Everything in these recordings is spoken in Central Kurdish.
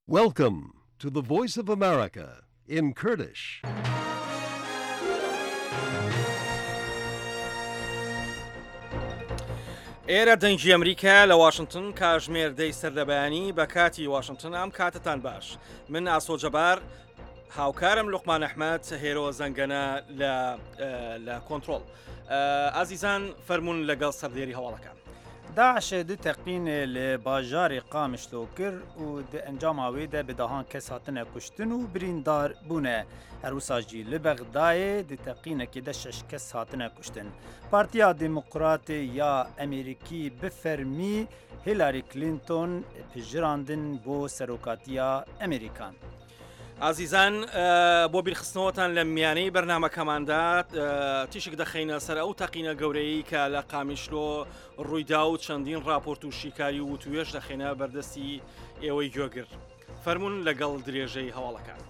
Welcome to the Voice of America in Kurdish. ئێرە دەنگی ئەمریکا لە واشنگتن کاژمێر دەی سەر لە بەیانی بە کاتی واشنگتن ئەم کاتتان باش من ئاسۆ جەبار هاوکارم لوقمان ئەحمەد هێرۆ زەنگەنە لە لە کۆنتترۆل ئازیزان فەرمونون لەگەڵ سەردێری هەواڵەکان. داعش du teqîn li bajarê Qamişlo kir û di encama wê de bi dehan kes hatine kuştin û birîndar bûne. Her wisa jî li Bexdayê di teqînekê de şeş kes hatine kuştin. Partiya Demokratê ya Amerîkî bi fermî Hillary Clinton pijirandin bo serokatiya Amerîkan. ئازیزان بۆ بیرخستنەوەتان لە میانەی بەرنمەکەماندا تیشک دەخەینە سەر ئەو تەقینە گەورەی کە لە قامیشلۆ ڕوویدا و چەندین راپۆرت و شیکاری و وتوێش دەخەینە بەردەستی ئێوەی گوێگر فەرمونون لەگەڵ درێژەی هەواڵەکان.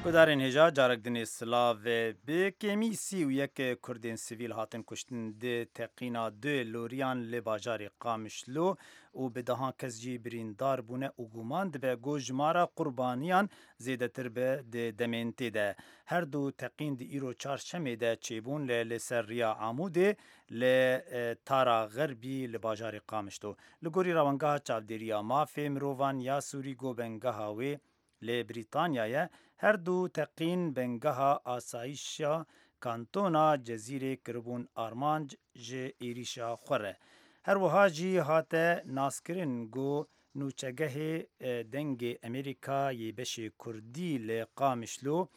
Guhdarên hêja carek dinê silavê bi kêmî 31 Kurdên sivîl hatin kuştin di teqîna du loriyan li bajarê Qamişlo û bi dehan kes jî birîndar bûne û guman dibe ku jimara qurbaniyan zêdetir be di demên tê de. Her du teqîn di îro çarşemê de çêbûn li li ser riya Amûdê li Tara Xerbî li bajarê Qamişlo. Li gorî Rewangeha Çavdêriya Mafê Mirovan ya Sûrî ku bengeha wê li Brîtanya ye, her du teqîn bengeha asayîşa kantona Cezîrê kiribûn armanc ji êrîşa xwe re. Her wiha jî hate naskirin ku nûçegehê Dengê Amerîka yê beşê Kurdî li Qamişlo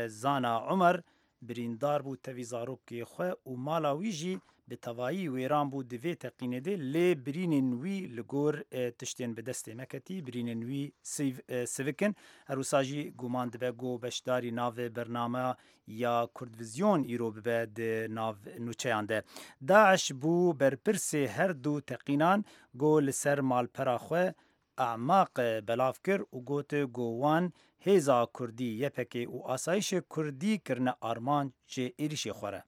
Zana Umer Birîndar bû tevî zarokê xwe û mala wî jî bi tevayî wêran bû di vê teqînê de lê birînên wî li gor tiştên bi destê me ketî birînên wî sivik in. Her wisa jî guman dibe ku beşdarî nav bername ya Kurdvizyon îro bibe di nav nûçeyan de. Daiş bû berpirsê her du teqînan ku li ser malpera xwe Emaq belav kir û got ku wan hêza Kurdî YPK û Asayîşê Kurdî kirine armanc ji êrîşê xwe re.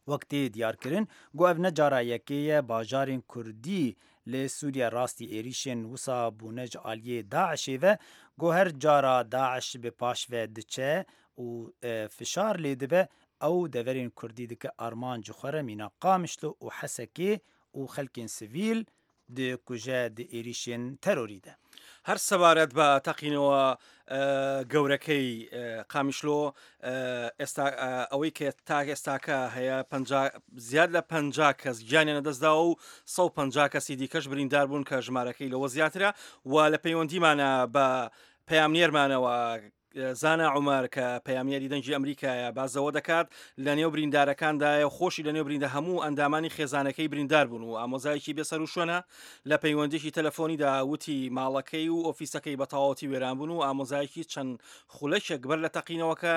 Wek tê diyarkirin ku ev ne cara yekê ye bajarên Kurdî li Sûriye rastî êrîşên wisa bûne ji aliyê DAIŞ'ê ve ku her cara DAIŞ bi paş ve diçe û fişar lê dibe ew deverên Kurdî dike armanc ji xwe re mîna Qamişlo û Hesekê û xelkên sivîl dikuje di êrîşên terorî de. هەر سەبارەت بە تەقینەوە گەورەکەی قامیشلۆ ئێستا ئەوەی کە تا ئێستاکە هەیە زیاد لە پ کەس گیانیان لەدەستداوە و 150 کەسی دیکەش بریندار بوون کە ژمارەکەی لەوە زیاترە و لە پەیوەندیمانە بە پەیامنێرمانەوە زانا عومەر کە پەیامنێری دەنگی ئەمریکایە باس لەوە دەکات لە نێو بریندارەکاندایە و خۆشی لە نێو بریندە هەموو ئەندامانی خێزانەکەی بریندار بوون و ئامۆزایەکی بێسەروشوێنە لە پەیوەندیی تەلەفۆنیدا وتی ماڵەکەی و ئۆفیسەکەی بە تەواوەتی وێران بوون و ئامۆزایەکی چەند خولەکێک بەر لە تەقینەوەکە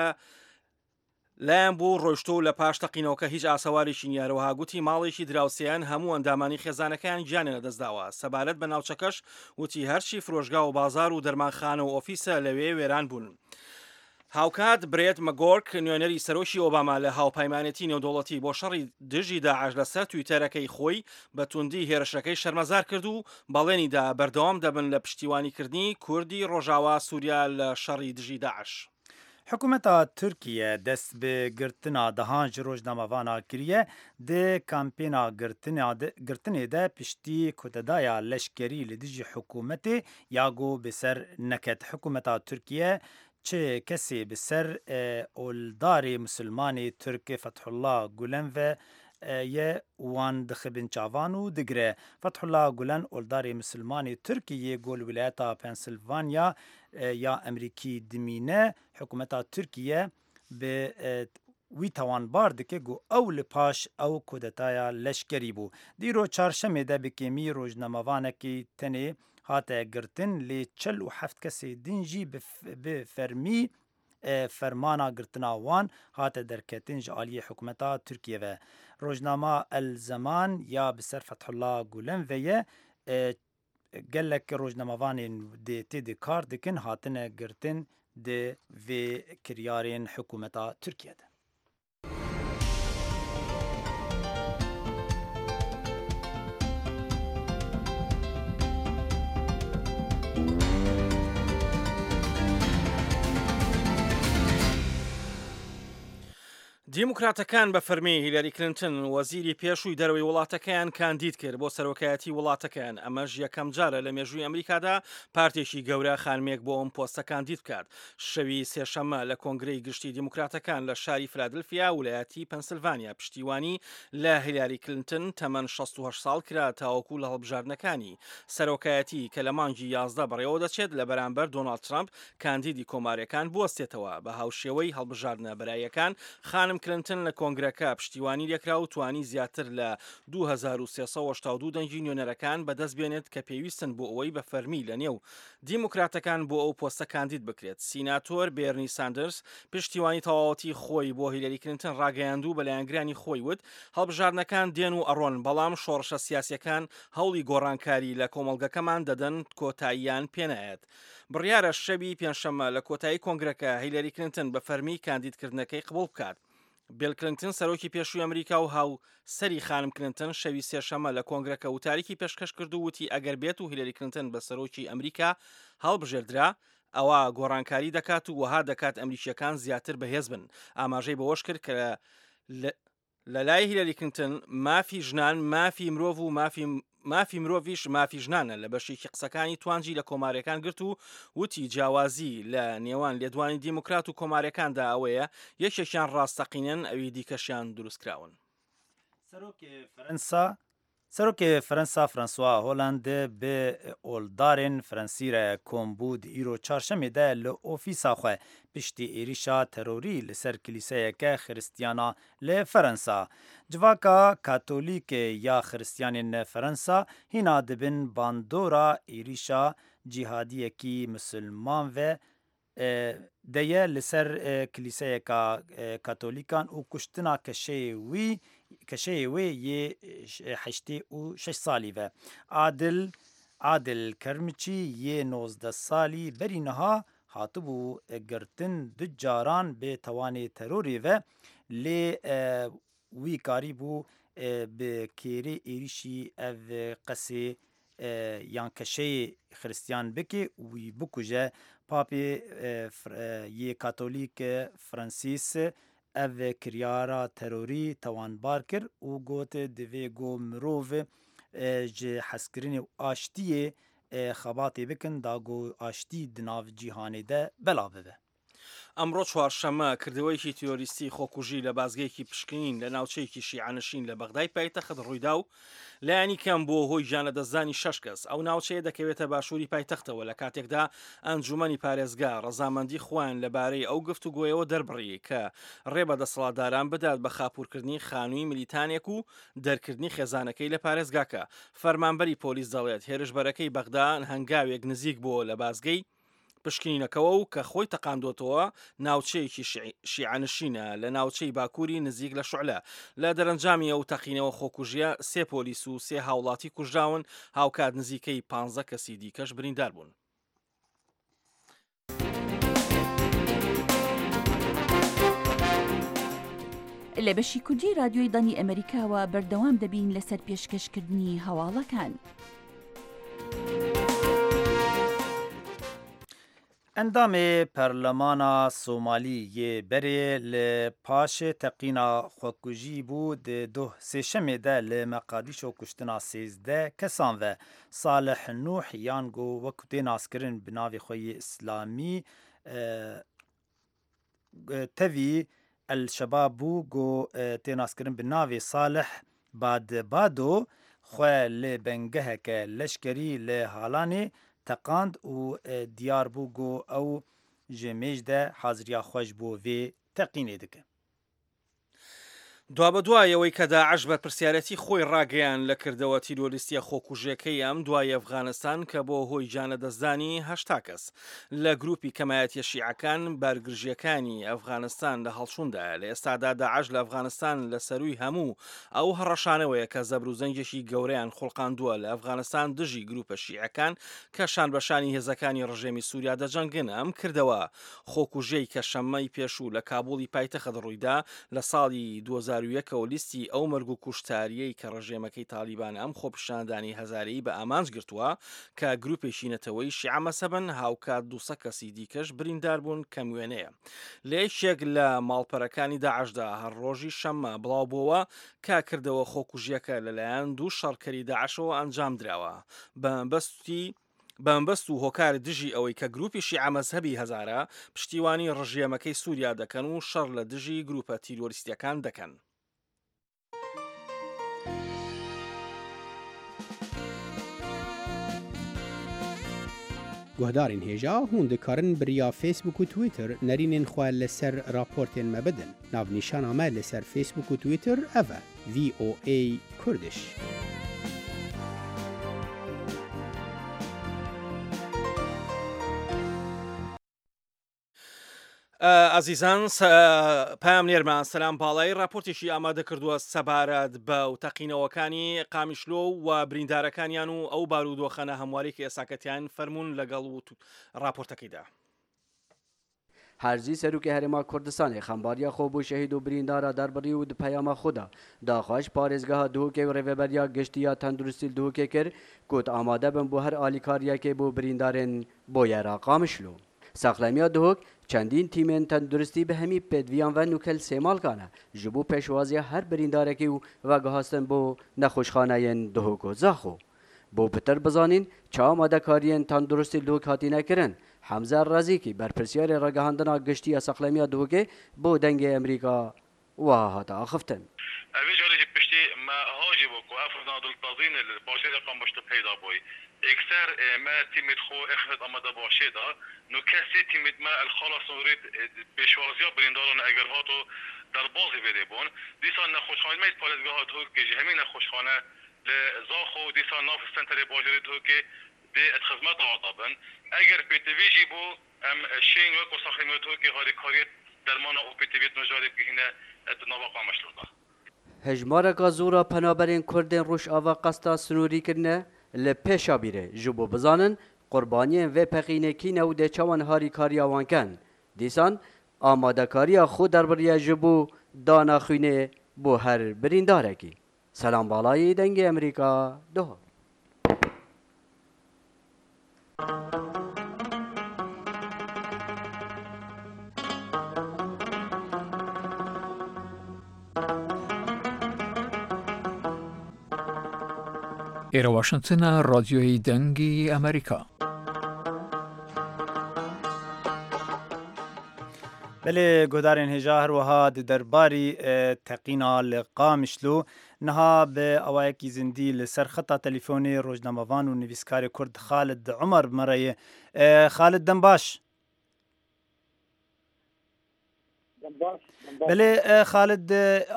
لایان بوو ڕۆیشتووە و لە پاش تەقینەوەکە هیچ ئاسەوارێکی نییە، هەروەها گوتی ماڵێکی دراوسێیان هەموو ئەندامانی خێزانەکەیان گیانیان لەدەستداوە، سەبارەت بە ناوچەکەش وتی هەرچی فرۆشگا و بازاڕ و دەرمانخانە و ئۆفیسە لەوێ وێران بوون. هاوکات برێت مەگۆرک نوێنەری سەرۆکی ئۆباما لە هاوپەیمانێتی نێودەوڵەتی بۆ شەڕی دژی داعش لەسەر تویتەرەکەی خۆی بە توندی هێرشەکەی شەرمەزار کرد و بەڵێنی دا بەردەوام دەبن لە پشتیوانیکردنی کوردی ڕۆژاوا سوریا لە شەڕی دژی داعش. Hikûmeta Tirkiye dest bi girtina dehan ji rojnamevana kiriye di kampêna girtinê de piştî kotedaya leşkerî li dijî hikûmetê ya ku bi ser neket. Hikûmeta Tirkiye çi kesê bi ser oldarê misilmanê Tirk Fethullah Gulen ve ye wan dixe bin çavan û digire. Fethullah Gulen oldarê misilmanê Tirk yê ku li wîlayeta Pensilvanya ya Emrîkî dimîne, hikûmeta Tirkiye bi wî tawanbar dike ku ew li paş ew kudetaya leşkerî bû. Di îro çarşemê de bi kêmî rojnamevanekî tenê hate girtin lê 47 kesê din jî bi fermî fermana girtina wan hate derketin ji aliyê hikûmeta Tirkiye ve. Rojnama El Zeman ya bi ser Fethullah Gulen ve ye Gelek rojnamevanên di tê de kar dikin hatine girtin di vê kiryarên hikûmeta Tirkiye de. دیموکراتەکان بە فەرمی هیلاری کلنتن وەزیری پێشووی دەرەوەی وڵاتەکەیان کاندید کرد بۆ سەرۆکایەتی وڵاتەکەیان، ئەمەش یەکەم جارە لە مێژووی ئەمریکادا پارتێکی گەورە خانمێک بۆ ئەم پۆستە کاندید بکات. شەوی سێشەممە لە کۆنگرەی گشتی دیموکراتەکان لە شاری فلادلفیا ولایەتی پەنسلڤانیا پشتیوانی لە هیلاری کلنتن تەمەن 68 ساڵ کرا تاوەکو لە هەڵبژاردنەکانی سەرۆکایەتی کە لە مانگی 11 بەڕێوە دەچێت لە بەرامبەر دۆناڵد ترەمپ کاندیدی کۆماریەکان بوەستێتەوە. بە هاوشێوەی هەڵبژاردنە بەراییەکان، خانم کلنتن لە کۆنگرەکە پشتیوانی لێکرا و توانی زیاتر لە 2382 دەنگی نوێنەرەکان بەدەست بێنێت کە پێویستن بۆ ئەوەی بە فەرمی لە نێو دیموکراتەکان بۆ ئەو پۆستە کاندید بکرێت. سیناتۆر بێرنی ساندرس پشتیوانی تەواوەتی خۆی بۆ هیلەری کلنتن ڕاگەیاند و بە لایەنگرانی خۆی وت هەڵبژاردنەکان دێن و ئەڕۆن، بەڵام شۆڕشە سیاسیەکان هەوڵی گۆڕانکاری لە کۆمەڵگەکەمان دەدەن کۆتاییان پێنایەت. بڕیارە شەوی پێنجشەممە لە کۆتایی کۆنگرەکە هیلەری کلنتن بە فەرمی کاندیدکردنەکەی قبوڵ بکات. بیل کلنتن سەرۆکی پێشووی ئەمریکا و هاوسەری خانم کلنتن شەوی سێشەممە لە کۆنگرەکە وتاریکی پێشکەش کرد و وتی ئەگەر بێت و هیلەری کلنتن بە سەرۆکی ئەمریکا هەڵبژێردرا ئەوا گۆڕانکاری دەکات و وەها دەکات ئەمریکییەکان زیاتر بەهێز بن. ئاماژەی بەوەش کرد کە لە لای هیلەری کلینتن مافی ژنان مافی مرۆڤ و مافی مافی مرۆڤیش مافی ژنانە لە بەشێکی قسەکانی توانجی لە کۆمارەکان گرت و وتی جیاوازی لە نێوان لێدوانی دیموکرات و کۆمارەکاندا ئەوەیە یەکێکیان ڕاستەقینەن ئەوی دیکەشیان دروستکراون. سەرۆکی فەرەنسا Serokê Ferensa François Hollande bi oldarên Ferensî re kom bû di îro Çarşemê de li ofîsa xwe piştî êrîşa terorî li ser kilîseyeke Xiristiyana li Ferensa. Civaka Katolîk ya Xiristiyanên Ferensa hîna di bin bandora êrîşa cîhadiyekî misilman ve de ye li ser kilîseyeka katolîkan û kuştina keşeyê wî keşeyê wê yê 86 salî ve. Adil Adil Kermiçî yê 19 salî berî niha hatibû girtin du caran bi tawanê terorê ve lê wî karîbû bi kêrê êrîşî ev qesê yan keşeyê xiristiyan bike û wî bikuje. Papê yê Katolîk Fransîs ev kiryara terorî tawanbar kir û got divê ku mirov ji hezkirinê û aştiyê xebatê bikin da ku aştî di nav cîhanê de belav bibe. ئەمڕۆ چوارشەممە کردەوەیەکی تیرۆریستی خۆکوژی لە بازگەیەکی پشکنین لە ناوچەیەکی شیعەنشین لە بەغدای پایتەخت ڕوویدا و لایەنی کەم بووە هۆی گیانلەدەستدانی شەش کەس. ئەو ناوچەیە دەکەوێتە باشووری پایتەختەوە لە کاتێکدا ئەنجوومەنی پارێزگا ڕەزامەندی خۆیان لەبارەی ئەو گفتوگۆیەوە دەربڕی کە ڕێ بە دەسەڵاتداران بدات بە خاپوورکردنی خانووی ملیتانێک و دەرکردنی خێزانەکەی لە پارێزگاکە. فەرمانبەری پۆلیس دەڵێت هێرشبەرەکەی بەغدا هەنگاوێک نزیک بووە لە بازگەی پشکنینەکەوە و کە خۆی تەقاندۆتەوە ناوچەیەکی شیعەنشینە لە ناوچەی باکووری نزیک لە شعلە. لە دەرەنجامی ئەو تەقینەوە خۆکوژیە سێ پۆلیس و سێ هاوڵاتی کوژراون، هاوکات نزیکەی 15 کەسی دیکەش بریندار بوون. لە بەشی کوردی رادیۆی دەنگی ئەمەریکاوە بەردەوام دەبین لەسەر پێشکەشکردنی هەواڵەکان. Endamê Perlemana Somalî yê berê li paşê teqîna xwekujî bû di doh sêşemê de li Meqadîşo kuştina 13 kesan ve. Salih Nûh yan ku wek tê naskirin bi navê xwe yê Îslamî tevî El Şebab bû ku tê naskirin bi navê Salih Badbado xwe li bengeheke leşkerî li Halanê teqand û diyar bû ku ew ji mêj de haziriya xwe ji bo vê teqînê dike. دوابەدوای ئەوەی کە داعش بەرپرسیارێتی خۆی ڕاگەیاند لە کردەوە تیرۆریستیە خۆکوژیەکەی ئەم دوای ئەفغانستان کە بۆ هۆی گیانلەدەستدانی 80 کەس لە گروپی کەمایەتیە شیعەکان بارگرژیەکانی ئەفغانستان لە هەڵچوندایە لە ئێستادا داعش لە ئەفغانستان لە سەروی هەموو ئەو هەڕەشانەوەیە کە زەبروزەنگێکی گەورەیان خوڵقاندووە لە ئەفغانستان دژی گروپە شیعەکان کە شان بەشانی هێزەکانی ڕژێمی سوریا دەجەنگن ئەم کردەوە خۆکوژیەی کە شەممەی پێشوو لە کابوڵی پایتەخت ڕوویدا لە ساڵی 2021. 2001 ەوە لیستی ئەو مەرگ و کوشتارییەی کە ڕژێمەکەی تاڵیبان ئەم خۆپیشاندانی هەزارەیی بە ئامانج گرتووە کە گروپێکی نەتەوەیی شیعە مەزهەبن، هاوکات 200 کەسی دیکەش بریندار بوون کەم وێنەیە. لە یەکێک لە ماڵپەرەکانی داعشدا هەر ڕۆژی شەممە بڵاوبووەوە کە کردەوە خۆکوژییەکە لەلایەن دوو شەڕکەری داعشەوە ئەنجامدراوە بە مەبەستی بە مەبەست و هۆکار دژی ئەوەی کە گروپی شیعە مەزهەبی هەزارە پشتیوانی ڕژێمەکەی سوریا دەکەن و شەڕ لە دژی گروپە تیرۆریستیەکان دەکەن. Guhdarên hêja hûn dikarin bi riya Facebook û Twitter nerînên xwe li ser raportên me bidin. Navnîşana me li ser Facebook û Twitter ev e, VOA Kurdish. ئازیزان پەیامنێرمان سەلام باڵایی راپۆرتێکی ئامادە کردووە سەبارەت بە و تەقینەوەکانی قامیشلۆ و بریندارەکانیان و ئەو بارودۆخە ناهەمواری کە ئێساکەتیان فەرمونون لەگەڵ و راپۆرتەکەیدا. هەرزی سەرۆکی هەرێما کوردستانێ خەمبارییا خۆ بۆ شەهید و بریندارا دەربڕی و د پەیاما خۆ دا داخواز ژ پارێزگەها دهۆکێ و رێڤەبەرییا گشتی یا تەندروستی ل دهۆکێ کر کوت ئامادە بن بۆ هەر ئالیکارییەکێ بۆ بریندارێن بۆیەرا قامشلۆ. ساخلەمییا دهۆک چەندین تیمێن تەندروستی بە هەمی پێدڤیان ڤە نوکەل سێماڵکانە ژ بۆ پێشوازییا هەر بریندارەکی و ڤەگوهاستن بۆ نەخۆشخانەیێن دهۆک و زاخۆ. بۆ پتر بزانین چ ئامادەکاریێن تەندروستی لە دهۆک هاتینە کرن، حەمزە ڕەزیکی بەرپرسیارێ ڕاگەهاندنا گشتی یا ساخلەمییا دهۆکێ بۆ دەنگێ ئەمریکا وەها هاتە ئاخفتن. ئەڤ جارێ ژی پشتی مە هاژی بۆ کو ئەف ڕنا دڵتەزینێ ل باژێرێ قامشلۆ پەیدا بۆی. ئێکسەر مە تیمێد خۆ ئێخست ئامادە باشێ دا. نوکە سێ تیمێد مە ال خاڵا سنوورێد پێشوازیا برینداران ئەگەر هاتۆ دەربازی ڤێرێ بۆن. دیسان نەخۆشخانێد مە پارێزگەها دهۆکێ ژی هەمی نەخۆشخانە لە زاخۆ و دیسان ناڤ سەنتەرێ باژێرێ دهۆکێ دێ ات خزمەتا واتا بن. ئەگەر پێتڤی ژی بۆ ئەم شێین وەکۆ ساخێمێ دهۆکێ هاریکاریێت دەرمانا ئۆ پێتڤیێت مژارێ بگهینە ات ناڤا قامشلۆ دا. Hejmareka zor a penaberên Kurdên Rojava qesta sinûrî kirine li pêşa bîrê ji bo bizanin qurbaniyên vê peqînê kî ne û dê çawan harîkariya wan ken. Dîsan amadekariya xwe derbiriye ji bo dana xwînê bo her birîndarekî. Selam Balayî, Dengê Amerîka, Doha. ئێرە واشنتنە ڕادیۆی دەنگی ئەمریکا. Belê guhdarên hêja her wiha di derbarî teqîna li Qamişlo niha bi awayekî zindî li ser xeta telîfonê rojnamevan û nivîskarê Kurd Xalid Umer bi me re ye. Xalid dem baş. Belê Xalid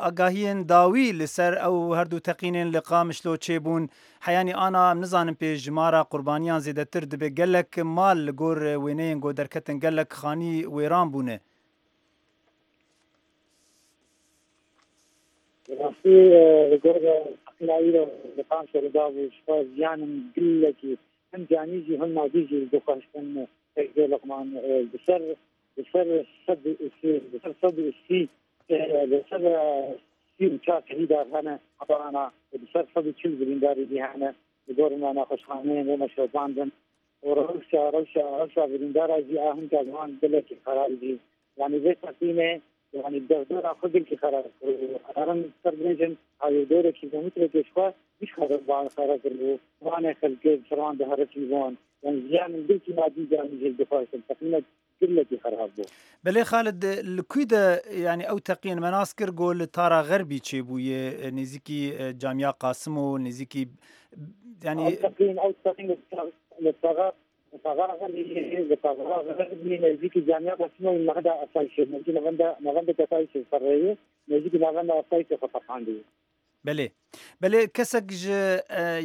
agahiyên dawî li ser ew herdu teqînên li Qamişlo çêbûn heyanî ana em nizanin pê jimara qurbaniyan zêdetir dibe gelek mal li gor wêneyên ku derketin gelek xanî wêran bûne. Bi rastî li gor teqîna îro li Qamişlo li dabû ji xwe ziyanên gelekî him canî jî him madî jî dixwestin pêk bê Luqman di ser Li ser 130 li ser 130 li ser 34 şehîdar hene heta ana li ser 140 birîndarî jî hene li gor me nexweşxaneyên wê me şopandin û rewşa rewşa rewşa birîndara jî a hinka ji wan gelekî xerab jî yanî vê teqînê yanî derdora xwe gelekî xerab kiribû herin ser bêjin hawîrdorê kîlometrekê ji xwe hiç xerab xerab kiribû wanê xelkê bi ser wan diherikî wan yanî ziyanên gelekî madî canî jî dixwestin teqînek Gelekî xerab bû. Belê Xalid li kwî de yanî ew teqîn me nas kir ku li Tara Xerbî çêbûye nêzîkî Camiya Qasim û nêzîkî yanî Ew teqîn ew teqîn li Tara li Tara Xerbî li Tara Xerbî nêzîkî Camiya Qasim û navenda Asayîşê nêzîkî navenda navendeke Asayîşê ser rêyê nêzîkî navenda Asayîşê xwe teqandiye. Belê. Belê kesek ji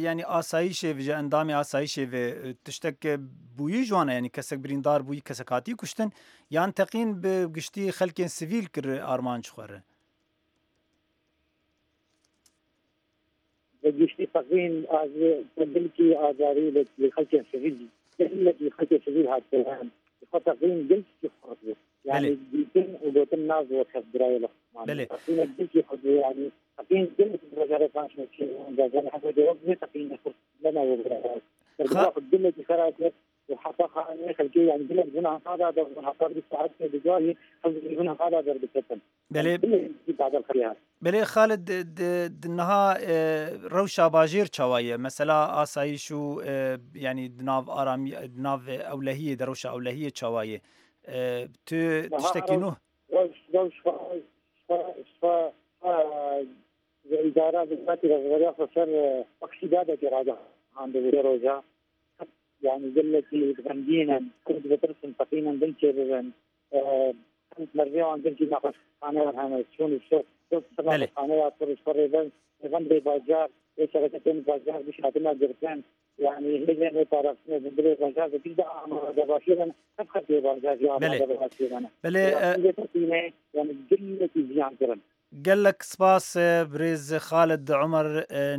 yanî asayîşê ji endamê asayîşê ve tiştek bûyî ji wan e yanî kesek birîndar bûyî kesek hatî kuştin yan teqîn bi giştî xelkên sivîl kir armanc xwe re? Bi giştî teqîn gelkî azarî li xelkên sivîl gelekî xelkê sivîl hat kirin. Ji xwe teqîn gelkî xurt bû. Yanî dîtin û gotin naz wek hev birayê li xwe. بەلێ. بەلێ بەلێ خالد niha rewşa bajêr çawa ye mesela asayîş û yanî di nav aramî di nav ewlehiyê de rewşa ewlehiyê çawa ye tu tiştekî nû يعني gelekî xemgîn Kurd ditirsin teqînin din çê bibin merviyan din jî nexweşxaneyan hene çûn nexweşxaneya tur ji xwe rêven rêvendê bajar ê şereketên bajar giş hatine girtin yani hêzên wê parastinê di dilê bajar de giş de amadebaşî ne ev xelkê bajar jî amadebaşî ne. Belê teqînê yani gelekî ziyan kirin. Gelek spas birêz Xalid Omer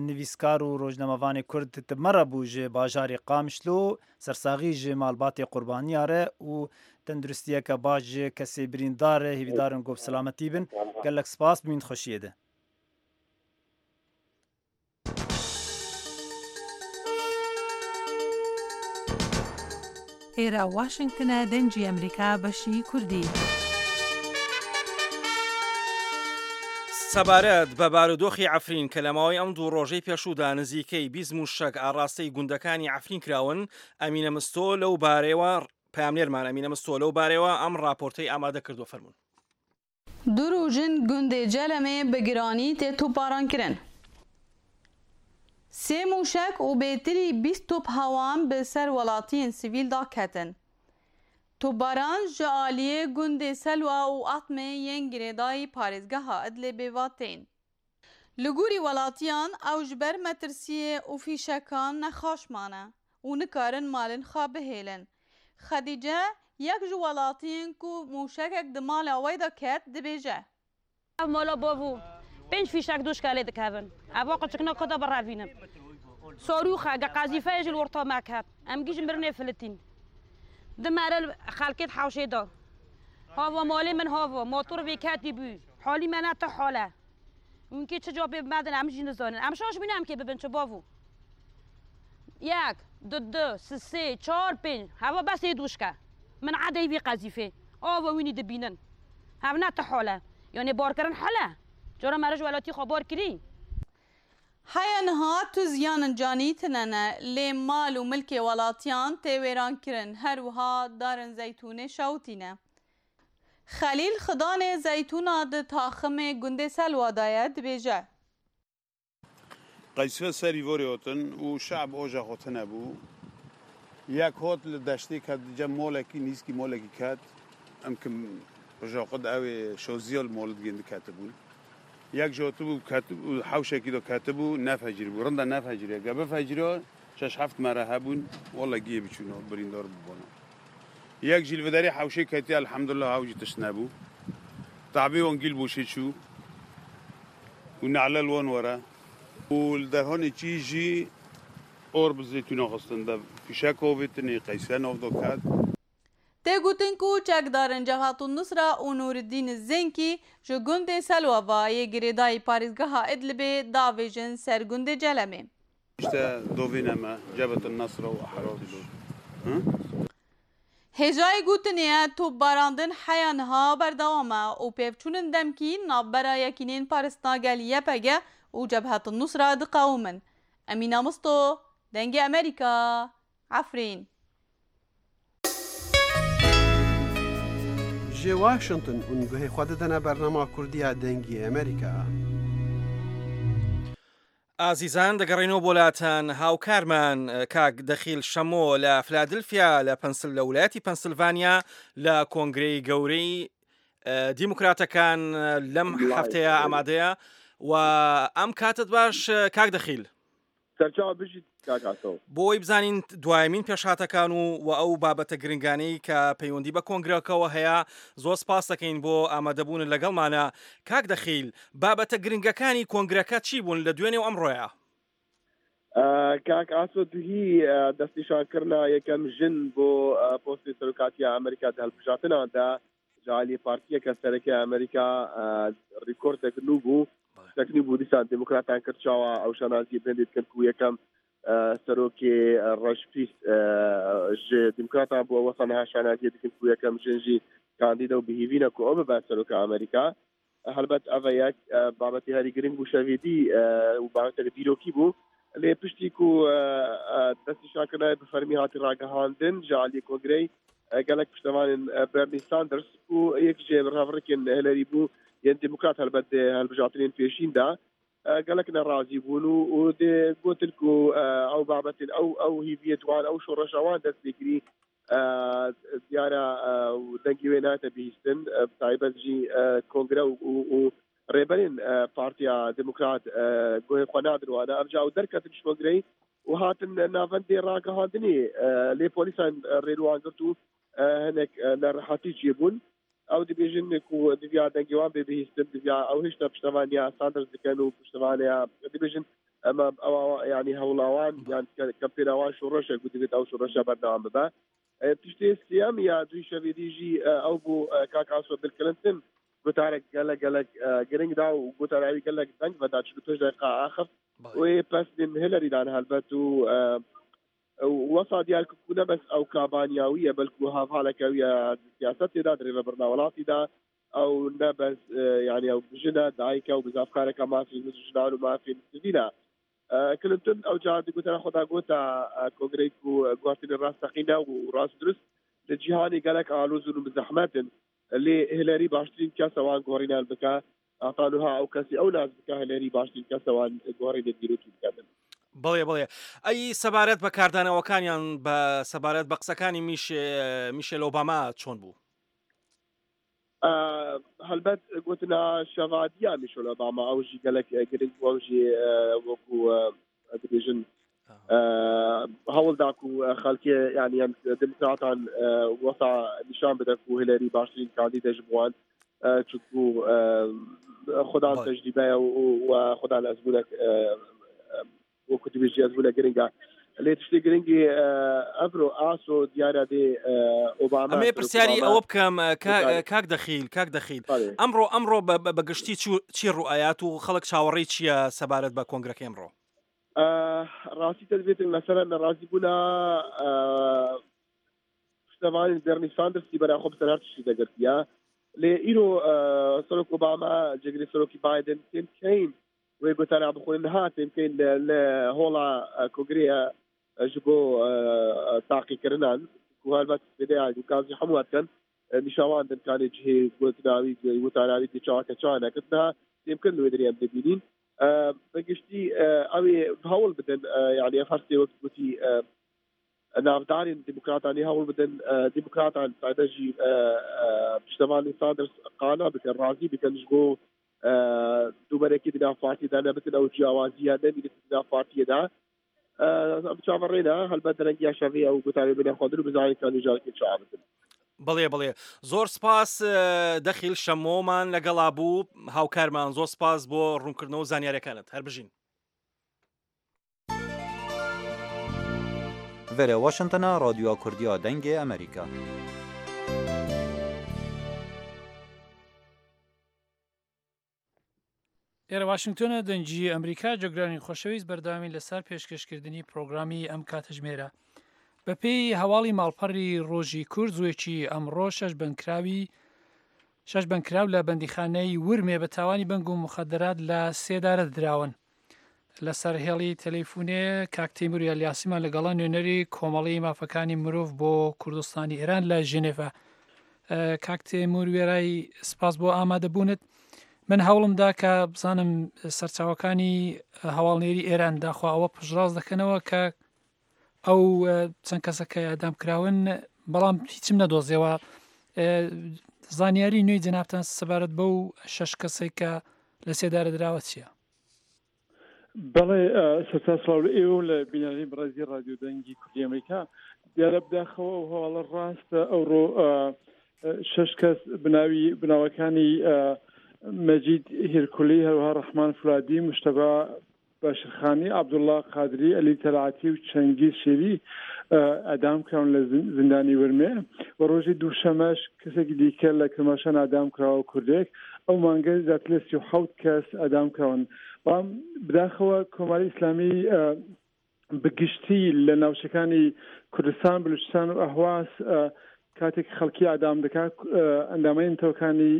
nivîskar û rojnamevanê Kurd ti me re bû ji bajarê Qamişlo, sersaxî ji malbatê qurbaniya re û tenduristiyeke baş ji kesê birîndar re hêvîdar in ku bi selametî bin. Gelek spas bimîn xweşiyê de. ئێرە واشنگتنە دەنگی ئەمریکا بەشی کوردی. سەبارەت بە بارودۆخی عەفرین کە لە ماوەی ئەم دوو ڕۆژەی پێشوودا نزیکەی 20 مووشەک ئاڕاستەی گوندەکانی عەفرین کراون، ئەمینە مستۆ لەو بارەیەوە پەیامنێرمان ئەمینە مستۆ لەو بارەیەوە ئەم ڕاپۆرتەی ئامادە کردووە فەرموون. Du roj in gundê Celemê bi giranî tê topbarankirin. Sê mûşek û bêtirî 20 top hewan bi ser welatiyên sivîl da ketin. Topbaran ji aliyê gundê Selwa û Atmê yên girêdayî parêzgeha Idlibê ve tên. Li gorî welatiyan ew ji ber metirsiyê û fîşekan nexweş mane û nikarin malên xwe bihêlin. Xedîce yek ji welatiyên ku mûşekek di mala wê de ket dibêje. Ev mala bavû pênc fîşek doşka lê dikevin. Eva qiçikna xwe de birevînim. Sarûxe ge qezîfeyê jî li orta me ket. Em gîj mirinê filitîn. Di mere li xelkê di hewşê de. Hava malê min hava, motor vê ketî bû. Halî me ne ti hal e. Hûn kê çi capê bi me din em jî nizanin. Em şaş bûne em kê bibin çi bavû. Yek, du du, sisê, çar, pênc. Heva bes ê doşke. Min edeyî vê qezîfê. Ava wînî dibînin. Hev ne ti hal e. Yanê barkirin hal e. Cara me re ji welatî xwe bar kirî. Heya niha tu ziyanin canî tine ne, lê mal û milkê welatiyan tê wêrankirin, her wiha darên zeytûnê şewitîne. Xelîl Xidanê zeytûna di taximê gundê Selwa de ye dibêje. Qeysfe serî vorê hatin û şe'b oja xwe tune bû. Yek hat li deştê ket cem malekî nîzkî malekî ket. Em kim roja xwe di ewê şoziya li malê digên diketibûn. Yek jî hatibû ketibû hewşekî de ketibû nefecirîbû. Rinda nefeciriye. Ge bifeciriya şeş heft mere hebûn walla giyê biçûna birîndar bûbana. Yek jî li vi derê hewşê ketiye elhemdulillah ew jî tişt nebû. Tabê wan gîl boşê çû û ne'le li wan were û li derhanê çî jî or bi zeytûna xistin de fîşek avêtinê qeyse nav da ket. Tê gotin ku çekdarên Cebhatun Nusra û Nûriddîn Zênkî ji gundê Selwava yê girêdayî parêzgeha Idlibê davêjin ser gundê Celemê. İşte dovîne me Cebhetun Nesra û Ehrar Hêjayê gotinê ye topbarandin heya niha berdewam e û pêvçûnin demkî navbera Yekîneyên Parastina Gel YPG û Cebhetun Nusra diqewimin. Emîna Misto, Dengê Amerîka, Efrîn. Ji Washington hûn guhê xwe didine bernama Kurdî ya Dengê Amerîka. ئازیزان دەگەڕێینەوە بۆ لاتان هاوکارمان کاک دەخیل شەمۆ لە فلادلفیا لە پەنسل لە ولایەتی پەنسلڤانیا لە کۆنگرەی گەورەی دیموکراتەکان لەم هەفتەیە ئامادەیە و ئەم کاتت باش کاک دەخیل. سەرچاوە بژیت کاک ئاسۆ. بۆ ئەوەی بزانین دوایەمین پێشهاتەکان و و ئەو بابەتە گرنگانەی کە پەیوەندی بە کۆنگرەکەوە هەیە زۆر سپاس دەکەین بۆ ئامادەبوونت لەگەڵمانە کاک دەخیل بابەتە گرنگەکانی کۆنگرەکە چی بوون لە دوێنێ و ئەمڕۆیا؟ کاک ئاسۆ دوهی دەستنیشانکردنا یەکەم ژن بۆ پۆستی سەرۆکاتیە ئەمریکا دە هەلبژاتناندا. ji aliyê partiyeke sereke Amerîka rîkordek nû bû. Tiştek nû bû dîsan demokratan kir çawa ew şanaziyê bi hindê dikin ku yekem serokê reşpîst ji demokratan bû ew wesa niha şanaziyê dikin ku yekem jin jî kandîde û bi hêvî ne ku ew bibe seroka Amerîka. Helbet ev e yek babetê herî giring bû şevê dî û babetek dîrokî bû. Lê piştî ku destnîşankirina bi fermî hatî ragihandin ji aliyê kongreyê gelek piştevanên Bernie Sanders ku yek ji hevrikên Hillary bû yên Demokrat helbet di hilbijartinên pêşîn de gelek nerazî bûn û dê gotin ku ew babetên ew ew hîviyê wan ew şoreşa wan dest pê kirî diyar e dengê wê nayête bihîstin bi taybet jî kongre û rêberên Partiya Demokrat guhê xwe nadin wan. Ev ca ew derketin ji kongreyê û hatin navendê ragihandinê lê polîsan rê li wan girt û hinek nerehatî çêbûn. Ew dibêjin ku diviya dengê wan bê bihîstin, diviya ew hêjta piştevaniya Sanders dikin û piştevaniya dibêjin ema ew yanî hewla wan yan kempêna wan şoreş e ku divêt ew şoreşa berdewam bibe. Tiştê sêyem ya duhî şevê dî jî ew bû kak Aso Bill Clinton gotarek gelek gelek giring da û gotara wî gelek deng veda 45 deqîqa axift wê pesnên Hillary dan helbet û Wesa diyar kir ku ne bes ew kabaniya wî ye belku hevaleke wî ye di siyasetê de, di rêvebirina welatî de. Ew ne bes yanî ew jin e, dayik e û bizavkareke mafên jinan û mafên sivîl e. Clinton ew car di gotara xwe de gote kongreyê ku guhertinên rasteqîne û rast û dirust li cîhanê gelek aloz û bi zehmet in. Lê Hillary baştirîn kes e wan guherînan bike. Heta niha ew kesî ew nas bike Hillary baştirîn kes e wan guherînên dîrokî bike din. بەڵێ بەڵێ ئەی سەبارەت بە کاردانەوەکانیان بە سەبارەت بە قسەکانی میشێل ئۆباما چۆن بوو؟ هەلبەت گوتنا شەڤادیا میشێل ئۆباما ئەو ژی گەلک گرنگ بوو ئەو ژی وەکو دەبێژن هەوڵدا و خەڵکێ یعنی ئەم دموکراتان وەسا نیشان بدە و هیلەری باشترین کاندیدە ji بوان چونکو خودان تەجریبەیە و خودان ئەزمونێک وەکو دبێژی ئەزمونە گرنگە لێ تشتی گرنگی ئەڤرۆ ئاسۆ دیارە دێ ئۆباما ئەمێ پرسیاری ئەوە بکەم کاک دەخیل کاک دەخیل ئەمڕۆ ئەمڕۆ بە گشتی چی ڕوئایات و خەڵک چاوەڕێی چییە سەبارەت بە کۆنگرەکەی ئەمڕۆ؟ ڕاستی دەبێتن مەسەلەن نەڕازی بوونا پشتەوانی بێرنی ساندرسی بەرا خۆ بەسەر هەر تشتی دەگرتیە لێ ئیرۆ سەرۆک ئۆباما جێگری سەرۆکی بایدن تیم کەین وێ گوتارا بخۆن ها تیم کەین لە هۆڵا کۆگرەیە ji bo taqîkirinan ku helbet zêdeya gazî hemû dikin nîşawan din kanê cihê gotinawî gotarawî dê çawa ke çawa nekin niha têmkin li wê derê em dibînîn Bi giştî ew ê hewl bidin yanî ev her sê wek gotî navdarên demokratanî hewl bidin demokratan taybet jî piştevanên Sanders qana bikin razî bikin ji bo dûberekî di nav partiyê de nebitin ew ciyawaziya nemîne di nav partiyê de. Em çaverê ne helbet derengiya şevê ew gotarê bine xwendin û bizanin ka nûjarkê çi abitin. بەڵێ بەڵێ زۆر سپاس دەخیل شەمۆمان لەگەڵا بوو هاوکارمان زۆر سپاس بۆ ڕوونکردنەوە زانیارەکانت هەر بژین. Vere Washingtona Radyoya Kurdiya Dengê Amerîka. ئێرە واشنگتۆنە دەنگی ئەمریکا جۆگرانی خۆشەویست بەردەوامی لەسەر پێشکەشکردنی پرۆگرامی ئەم کاتژمێرە بەپێی هەواڵی ماڵپەڕی ڕۆژی کورد زوویەکی ئەمڕۆ شەش بەندکراوی شەش بەندکراو لە بەندیخانەی ورمێ بە تاوانی بەنگ و مخدرات لە سێدارە دراون. لەسەر هێڵی تەلەیفونێ کاک تەیمور یالیاسیمان لەگەڵە نوێنەری کۆمەڵی مافەکانی مرۆڤ بۆ کوردستانی ئێران لە ژنێڤە کاک تەیمور وێرای سپاس بۆ ئامادەبوونت من هەوڵمدا کە بزانم سەرچاوەکانی هەواڵنێری ئێران داخوا ئەوە پشتڕاست دەکەنەوە کە ئەو چەند کەسە کە ئەدام کراون بەڵام هیچم نەدۆزیەوە زانیاری نوێی جەنابتان سەبارەت بەو شەش کەسێک کە لە سێدارە دراوە چییە؟ بەڵێ سەرتا سڵاو لە ئێوە و لە بینەرانی بەڕێزی ڕادیۆ دەنگی کوردی ئەمریکا. دیارە بداخەوە ئەو هەواڵە ڕاستە ئەوڕۆ شەش کەس بناوی بناوەکانی مەجید هیرکولی هەروەها ڕەحمان فولادی مشتەبا. بەشرخانی، عەبدوڵڵا قادری، عەلی تەلعەتی و چەنگیز شێری ئێعدام کراون لە زیندانی ورمێ و ڕۆژی دووشەمەش کەسێکی دیکە لە کرماشان ئێعدام کراوە کوردێک. ئەو مانگە زیاتر لە 37 کەس ئێعدام کراون. بەڵام بداخەوە کۆماری ئیسلامی بە گشتی لە ناوچەکانی کوردستان، بلوچستان و ئەهواز کاتێک خەڵکی ئادام دەکا ئەندامانی نەتەوەکانی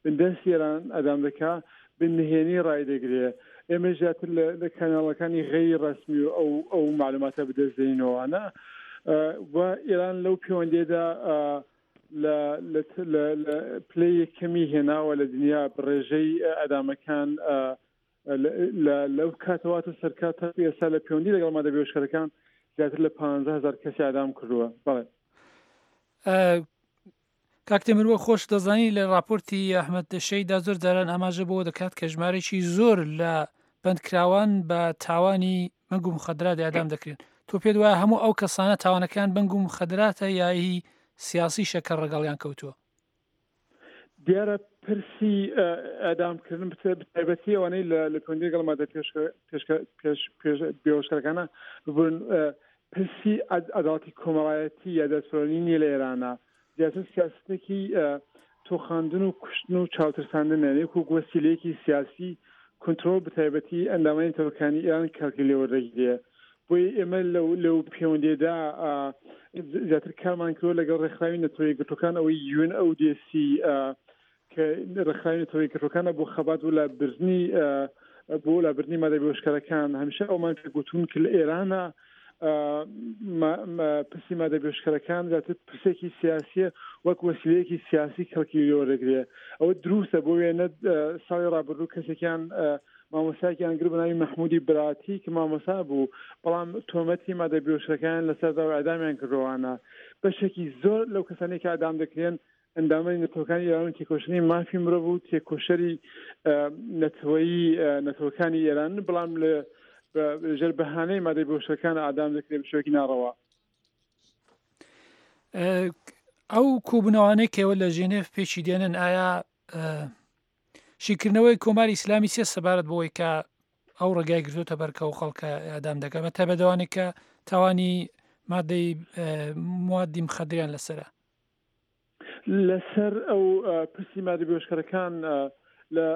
بندەستی ئێران ئەدام دەکا بە نهێنی ڕایدەگرێ ئێمە زیاتر لە کەناڵەکانی غەیری ڕەسمی و ئەو ئەو معلوماتە بەدەست دێنینەوەوانە و ئێران لەو پەیوەندیدا لە لە پلەی یەکەمی هێناوە لە دنیا بە ڕێژەی ئەدامەکان لە لەو کاتەوە تا سەرکات تا ئێستا لە پەیوەندی لەگەڵ مادە بێهۆشکەرەکان زیاتر لە 15000 کەسی ئادام کردووە بەڵێ. کاک تێمور وەک خۆشت دەزانی لە ڕاپۆرتی ئەحمەد شەیدا زۆر جاران ئاماژە بەوە دەکات کە ژمارەیەکی زۆر لە بەندکراوان بە تاوانی بەنگ و مخدرات ئێعدام دەکرێن تۆ پێت وایە هەموو ئەو کەسانە تاوانەکان بەنگ و مخدراتە یا هی سیاسیشە کە ڕەگەڵیان کەوتووە؟ دیارە پرسی ئێعدامکردن بەتایبەتی ئەوانەی لە پەیوەندی لەگەڵ مادە بێهۆشکەرەکانە ببورن پرسی عەداڵەتی کۆمەڵایەتی یا دادپەروەری نییە لە ئێرانە زیاتر سیاستێکی تۆخاندن و کوشتن و چاوترساندنە وەک وەسیلەیەکی سیاسی کنترۆڵ بەتایبەتی ئەندامانی نەتەوەکانی ئێران کەڵکی لێوەردەگیرێ بۆیە ئێمە لەو لەو پەیوەندیدا زیاتر کارمان کردوە لەگەڵ ڕێکخراوی نەتەوە یەکگرتووەکان ئەوەی یون ئەو دێسی کە ڕێکخراوی نەتەوە یەکگرتووەکانە بۆ خەبات بۆ لابردنی بۆ لابردنی مادە بێهۆشکەرەکان هەمیشە ئەومان پێ گوتون کە لە ئێرانە پرسی مادە بێهۆشکەرەکان زیاتر پرسێکی سیاسیە وەک وەسیلەیەکی سیاسی کەڵکی لێوەردەگرێ ئەوە دروستە بۆ وێنە ساڵی ڕابردوو کەسێکیان مامۆستایەکیان گرت بە ناوی مەحموودی براتی کە مامۆستا بوو، بەڵام تۆمەتی مادە بێهۆشکەرەکانیان لەسەر دا و ئێعدامیان کردووانە. بەشێکی زۆر لەو کەسانەی کە ئێعدام دەکرێن ئەندامانی نەتەوەکانی ئێران و تێکۆشەری مافی مرۆڤ و تێکۆشەری نەتەوەیی نەتەوەکانی ئێرانن، بەڵام لە ژێر بەهانەی مادە بێهۆشکەرەکان ئێعدام دەکرێن بە شێوەیەکی ناڕەوا. ئەو کۆبوونەوانەی کە ئێوە لە ژێنێڤ پێکی دێنن ئایا شیکردنەوەی کۆماری ئیسلامی چیە سەبارەت بەوەی کە ئەو ڕێگای گرتوتە بەر کە ئەو خەڵکە ئێعدام دەکات بە تایبەت ئەوانەی کە تاوانی مادەی موادی مخدریان لەسەرە؟ لەسەر ئەو پرسی مادە بێهۆشکەرەکان لە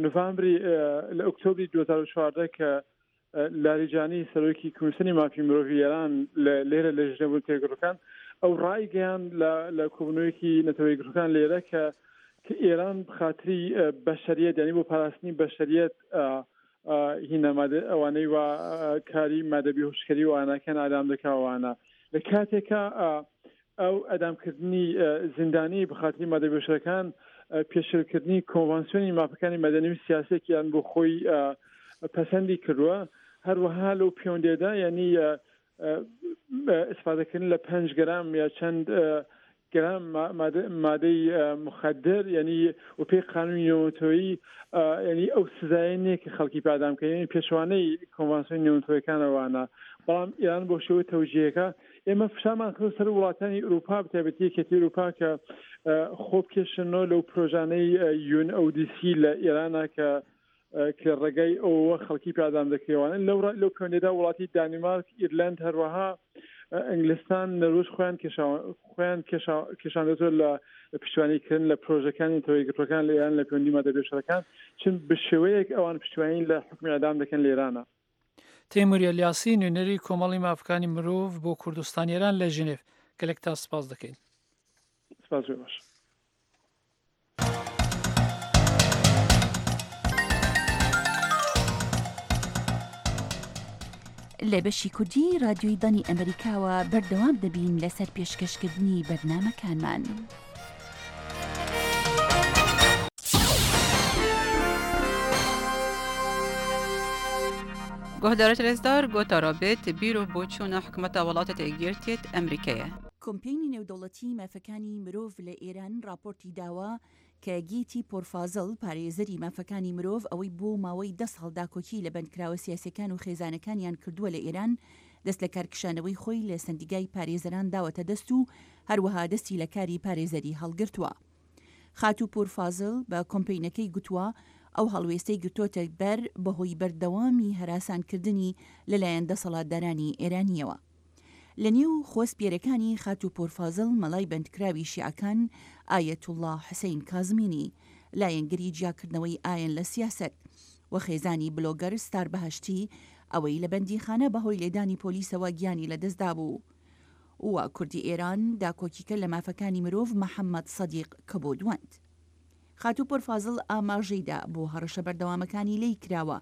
نوڤامبری لە ئۆکتۆبری 2014 کە لاریجانی سەرۆکی کمیسیۆنی مافی مرۆڤی ئێران لە لێرە لە ژنێڤ و تێگڕەکان ئەو ڕایگەیاند لە لە کۆبوونەوەیەکی نەتەوە یەکگرتووەکان لێرە کە کە ئێران بخاتری بەشەریەت یانی بۆ پاراستنی بەشەریەت هینا مادە ئەوانەی وا کاری مادە بێهۆشکەری و ئاناکان ئادام دەکاوانە لە کاتێکا ئەو ئەدامکردنی زیندانی بەخاتری مادە بێهۆشکەرەکان پێشێلکردنی کۆنڤانسیۆنی مافەکانی مەدەنی و سیاسیەکیان بۆ خۆی پەسەندی کردووە هەروەها لەو پەیوەندیدا یعنی ئیسفادەکردن لە پێنج گرام یا چەند گرام مادەی مخدر یعنی و پێی قانونی نێونەتەوەیی یعنی ئەو سزایە نییە کە خەڵکی پادام کە یعنی پێچەوانەی کۆنڤانسیۆنی نێونەتەوەیەکانەوانە بەڵام ئێران بۆ شێوەی تەوجیهەکە ئێمە فشارمان خستە سەر وڵاتانی ئورووپا بەتایبەتی یەکێتی ئورووپا کە خۆ بکێشنەوە لەو پرۆژانەی یون ئەو دی سی لە ئێرانە کە کە ڕێگای ئەوە خەڵکی پادام دەکرێوانە لەو لەو پەیوەندیدا وڵاتی دانیمارک ئیرلەند هەروەها ئینگلستان نەروژ خۆیان خۆیان کێشاندێتەوە لە پشتیوانیکردن لە پرۆژەکانی نەتەوە یەکگرتووەکان لە ئێران لە پەیوەندی مادە بێشەرەکان چون بە شێوەیەک ئەوان پشتیوانی لە حوکمی ئێعدام دەکەن لە ئێرانە. تەیمور ئەلیاسی، نوێنەری کۆمەڵی مافەکانی مرۆڤ بۆ کوردستانی ئێران لە ژنێڤ، گەلێکتان سپاس دەکەین. سپاس بۆ ئێوەش. لە بەشی کوردی رادیۆی دەنگی ئەمریکاوە بەردەوام دەبین لەسەر پێشکەشکردنی بەرنامەکانمان. Guhdarê rêzdar gotara bêt bîr û boçûna hikûmeta welatê Yekgirtiyê Emrîkê ye. کۆمپەینی نێودەوڵەتیی مافەکانی مرۆڤ لە ئێران ڕاپۆرتی داوە کە گیتی پۆرفازڵ پارێزەری مافەکانی مرۆڤ ئەوەی بۆ ماوەی دە ساڵ داکۆکی لە بەندکراوە سیاسیەکان و خێزانەکانیان کردووە لە ئێران دەست لەکارکشانەوەی خۆی لە سەندیگای پارێزەران داوەتە دەست و هەروەها دەستی لە کاری پارێزەری هەڵگرتووە. خاتوو پوور فازل بە کۆمپەینەکەی گوتووە، ئەو هەڵوێستەی گرتۆتە بەر بەهۆی بەردەوامی هەراسانکردنی لەلایەن دەسەڵاتدارانی ئێرانییەوە. لە نێو خۆسپێرەکانی خاتوو پۆرفازڵ مەلای بەندکراوی شیعەکان ئایەتوڵڵا حسەین کازمینی، لایەنگری جیاکردنەوەی ئایەن لە سیاسەت، و خێزانی بلۆگەر ستار بەهەشتی ئەوەی لە بەندیخانە بەهۆی لێدانی پۆلیسەوە گیانی لەدەستدابوو و کوردی ئێران داکۆکیکەر لە مافەکانی مرۆڤ محەممەد سەدیق کەبوودوەند. خاتوو پۆرفازڵ ئاماژەی دا بۆ هەڕەشە بەردەوامەکانی لێی کراوە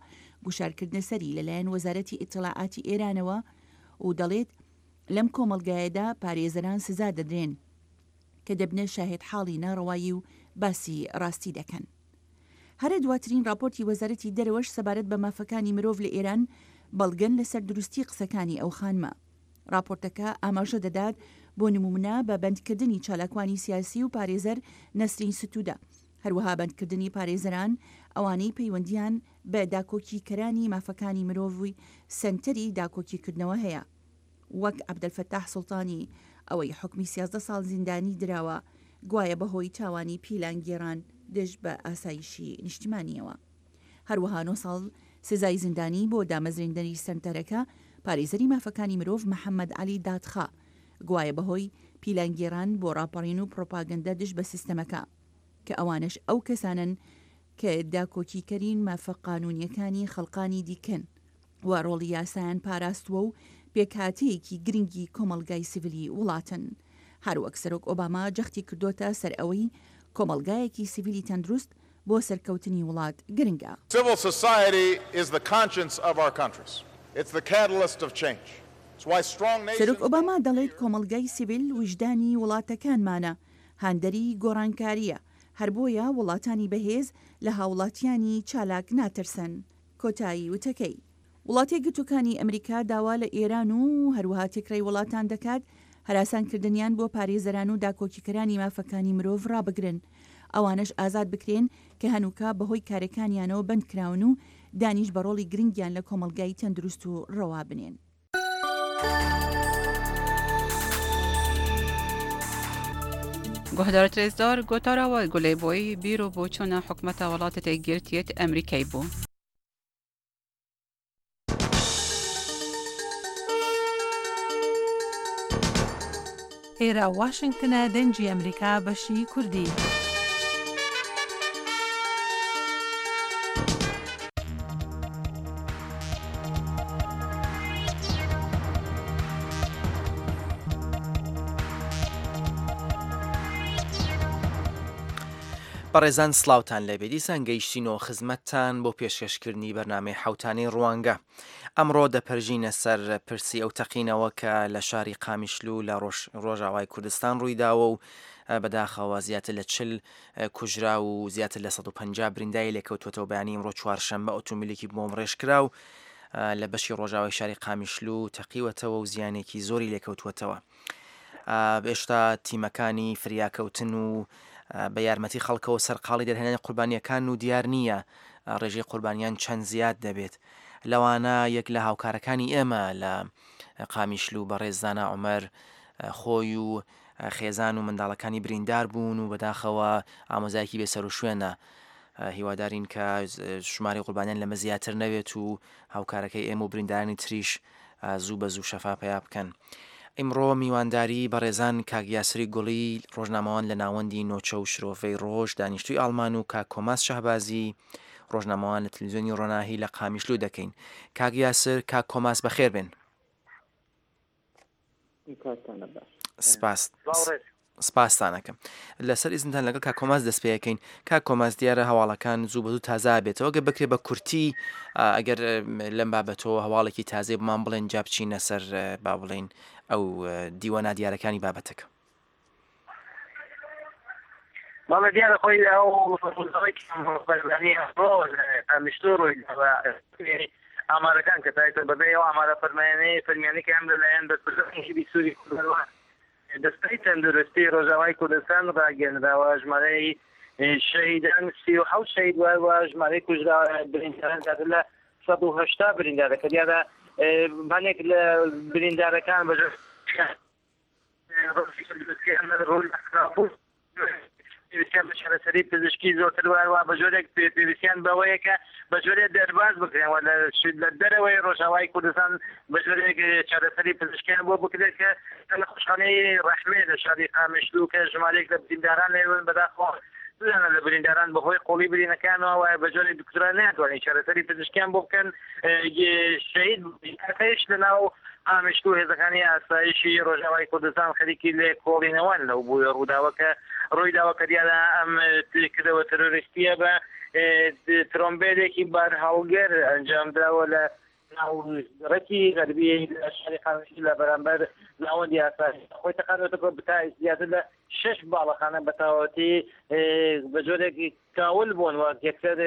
گوشارکردنە سەری لەلایەن وەزارەتی ئیتڵاعاتی ئێرانەوە و دەڵێت لەم کۆمەڵگایەدا پارێزەران سزا دەدرێن کە دەبنە شاهێدحاڵی ناڕەوایی و باسی ڕاستی دەکەن. هەرە دواترین ڕاپۆرتی وەزارەتی دەرەوەش سەبارەت بە مافەکانی مرۆڤ لە ئێران بەڵگەن لەسەر دروستی قسەکانی ئەو خانمە. ڕاپۆرتەکە ئاماژە دەدات بۆ نموونە بە بەندکردنی چالاکوانی سیاسی و پارێزەر نەسرین ستوودە، هەروەها بەندکردنی پارێزەران ئەوانەی پەیوەندییان بە داکۆکیکەرانی مافەکانی مرۆڤ سەنتەری داکۆکیکردنەوە هەیە وەک عەبدەلفەتاح سوڵتانی ئەوەی حوکمی 13 ساڵ زیندانی دراوە گوایە بەهۆی تاوانی پیلانگێڕان دژ بە ئاسایشی نیشتیمانییەوە. هەروەها نۆ ساڵ سزای زیندانی بۆ دامەزرێندەری سەنتەرەکە، پارێزەری مافەکانی مرۆڤ محەمەد عەلی دادخا، گوایە بەهۆی پیلانگێڕان بۆ ڕاپەڕین و پڕۆپاگەندە دژ بە سیستەمەکە، کە ئەوانەش ئەو کەسانەن کە داکۆکیکەری مافە قانوونییەکانی خەڵقانی دیکەن و ڕۆڵی یاسایان پاراستووە و پێکهاتەیەکی گرنگی کۆمەڵگای سیڤیلی وڵاتن. هەروەک سەرۆک ئۆباما جەختی کردۆتە سەر ئەوەی کۆمەڵگایەکی سیڤیلی تەندروست بۆ سەرکەوتنی وڵات گرنگە. Civil society is the conscience of our countries. It's the catalyst of change. It's why strong nations. سەرۆک ئۆباما دەڵێت کۆمەڵگای سیڤیل ویژدانی وڵاتەکانمانە، هاندەری گۆڕانکارییە، هەر بۆیە وڵاتانی بەهێز لە هاوڵاتیانی چالاک ناترسن. کۆتایی وتەکەی. وڵاتەیەکگرتووەکانی ئەمریکا داوا لە ئێران و هەروەها تێکرای وڵاتان دەکات هەراسانکردنیان بۆ پارێزەران و داکۆکیکەرانی مافەکانی مرۆڤ ڕابگرن، ئەوانەش ئازاد بکرێن کە هەنووکە بەهۆی کارەکانیانەوە بەندکراون و دانیش بە ڕۆڵی گرنگیان لە کۆمەڵگای تەندروست و ڕەوا بنێن. گوهدارت رێزدار گۆتارا وای گولەی بۆی بیر و بۆچوونە حکومەتە وڵاتە یەکگرتیەت ئەمریکای بوو. ئێرە واشنگتنە دەنگی ئەمریکا بەشی کوردی. بەڕێزان سڵاوتان لێبێ دیسان گەیشتینەوە خزمەتتان بۆ پێشکەشکردنی بەرنامەی حەوتانەی ڕوانگە. ئەمڕۆ دەپەرژینە سەر پرسی ئەو تەقینەوە کە لە شاری قامیشلو لە ڕۆژاوای کوردستان ڕوویداوە و بەداخەوە زیاتر لە چل کوژراو و زیاتر لە 150 بریندای لێکەوتووەتەوە بەیانی ئەمڕۆ چوارشەممە ئۆتۆمبیلێکی بۆمبڕێژکراو لە بەشی ڕۆژاوای شاری قامیشلو تەقیوەتەوە و زیانێکی زۆری لێکەوتووەتەوە. ئێشتا تیمەکانی فریاکەوتن و بە یارمەتی خەڵکەوە سەرقاڵی دەرهێنانی قوربانیەکان و دیار نییە ڕێژەی قوربانیان چەند زیاد دەبێت لەوانە یەک لە هاوکارەکانی ئێمە لە قامیشلو بەڕێز زانا عومەر خۆی و خێزان و منداڵەکانی بریندار بوون و بەداخەوە ئامۆزایەکی بێسەروشوێنە هیوادارین کە ژمارەی قوربانیان لەمە زیاتر نەبێت و هاوکارەکەی ئێمە و بریندارانی تریش زوو بە زوو شەفا پەیا بکەن. ئیمڕۆ میوانداری بەڕێزان کاک یاسری گوڵی ڕۆژنامەوان لە ناوەندی نۆچە و شرۆڤەی ڕۆژ دانیشتووی ئاڵمان و کاک کۆماس شەهبازی ڕۆژنامەوان لە تلویزیۆنی ڕۆناهی لە قامیشلو دەکەین. کاک یاسر، کاک کۆماس بەخێر بێن. سپاس. سپاستان ئەکەم. لەسەر ئیزنتان لەگەڵ کاک کۆماس دەست پێ ئەکەین. کاک کۆماس دیارە هەواڵەکان زوو بە زوو تازە ئەبێتەوە گەر بکرێ بە کورتی ئەگەر لەم بابەتەوە هەواڵێکی تازەی بۆمان بڵێن جا بچینە سەر با بڵێین ئەو دیوە نادیارەکانی بابەتەکە. بەڵێ دیارە خۆی ئەو ڕووداوەی کە بەرزانی ئەمڕۆ لە قامیشلۆ ڕوویداوە ئامارەکان کە تا ئێستا بەبێ ئەو ئامارە فەرمایانەی فەرمیانەی کە هەم لەلایەن بەرپرسانی حیزبی سووری کوردەوە دەستەی تەندروستی ڕۆژاوای کوردستان ڕاگەیەنراوە، ژمارەی شەهیدان 37 شەهید و هەروەها ژمارەی کوژرا برینداران زیاتر لە 180 بریندارە کە دیارە هەنێک لە بریندارەکان بە ڕووی خراپ بوو. پێویستیان بە چارەسەری پزیشکی زۆرتر و هەروەها بە جۆرێک پێویستیان بەوەیە کە بە جۆرێک دەرباز بکرێن و لە دەرەوەی ڕۆژاوای کوردستان بە جۆرێک چارەسەری پزیشکیان بۆ بکرێت کە لە نەخۆشخانەی ڕەحمێ لە شاری قامیشلو کە ژمارەیەک لە برینداران لێون بەداخەوە دووانە لە برینداران بەهۆی قوڵی برینەکانەوە وایە بە جۆرێک دکتۆران نەیانتوانی چارەسەری پزیشکیان بۆ بکەن شەهید بوون لە ناو قامیشلو هێزەکانی ئاسایشی ڕۆژاوای کوردستان خەریکی لێکۆڵینەوەن لەو بووە ڕووداوە کە ڕوویداوە کە دیارە ئەم کردەوە ترۆریستیە بە ترۆمبێلێکی بارهەڵگر ئەنجامدراوە لە ناو ڕێکی غەربی لە شاری قامیشلو لە بەرامبەر ناوەندی ئاسایش خۆی تەقاندوەتە تا زیاتر لە شەش باڵەخانە بە تەواوەتی بە جۆرێک کاول بوون و یەکسەر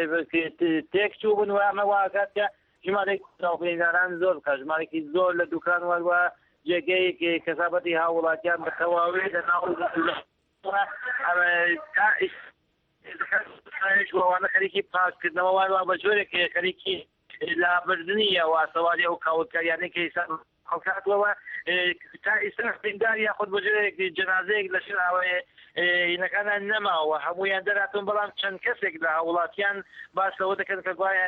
تێک چوو بوون و ئەمە واکات کە ژمارەی کوژراو برینداران زۆر بکات ژمارێکی زۆر لە دوکان وەروە جێگەی کەسابەتی هاووڵاتیان بە تەواوی لە ناو ئەوانە خەریکی پاککردنەوە وانوا بە جۆرێک خەریکی لابردنی ئەو ئاسەواری ئەو کاولکاریانەی کە ئێستا خەڵک هاتووە تا ئێستا بریندار یاخود بە جۆرێک جەنازەیەک لە ژێر ئاوێ هینەکانە نەماوە هەمویان دەراتون بەڵام چەند کەسێک لە هاوڵاتیان باس لەوە دەکەن کە گوایە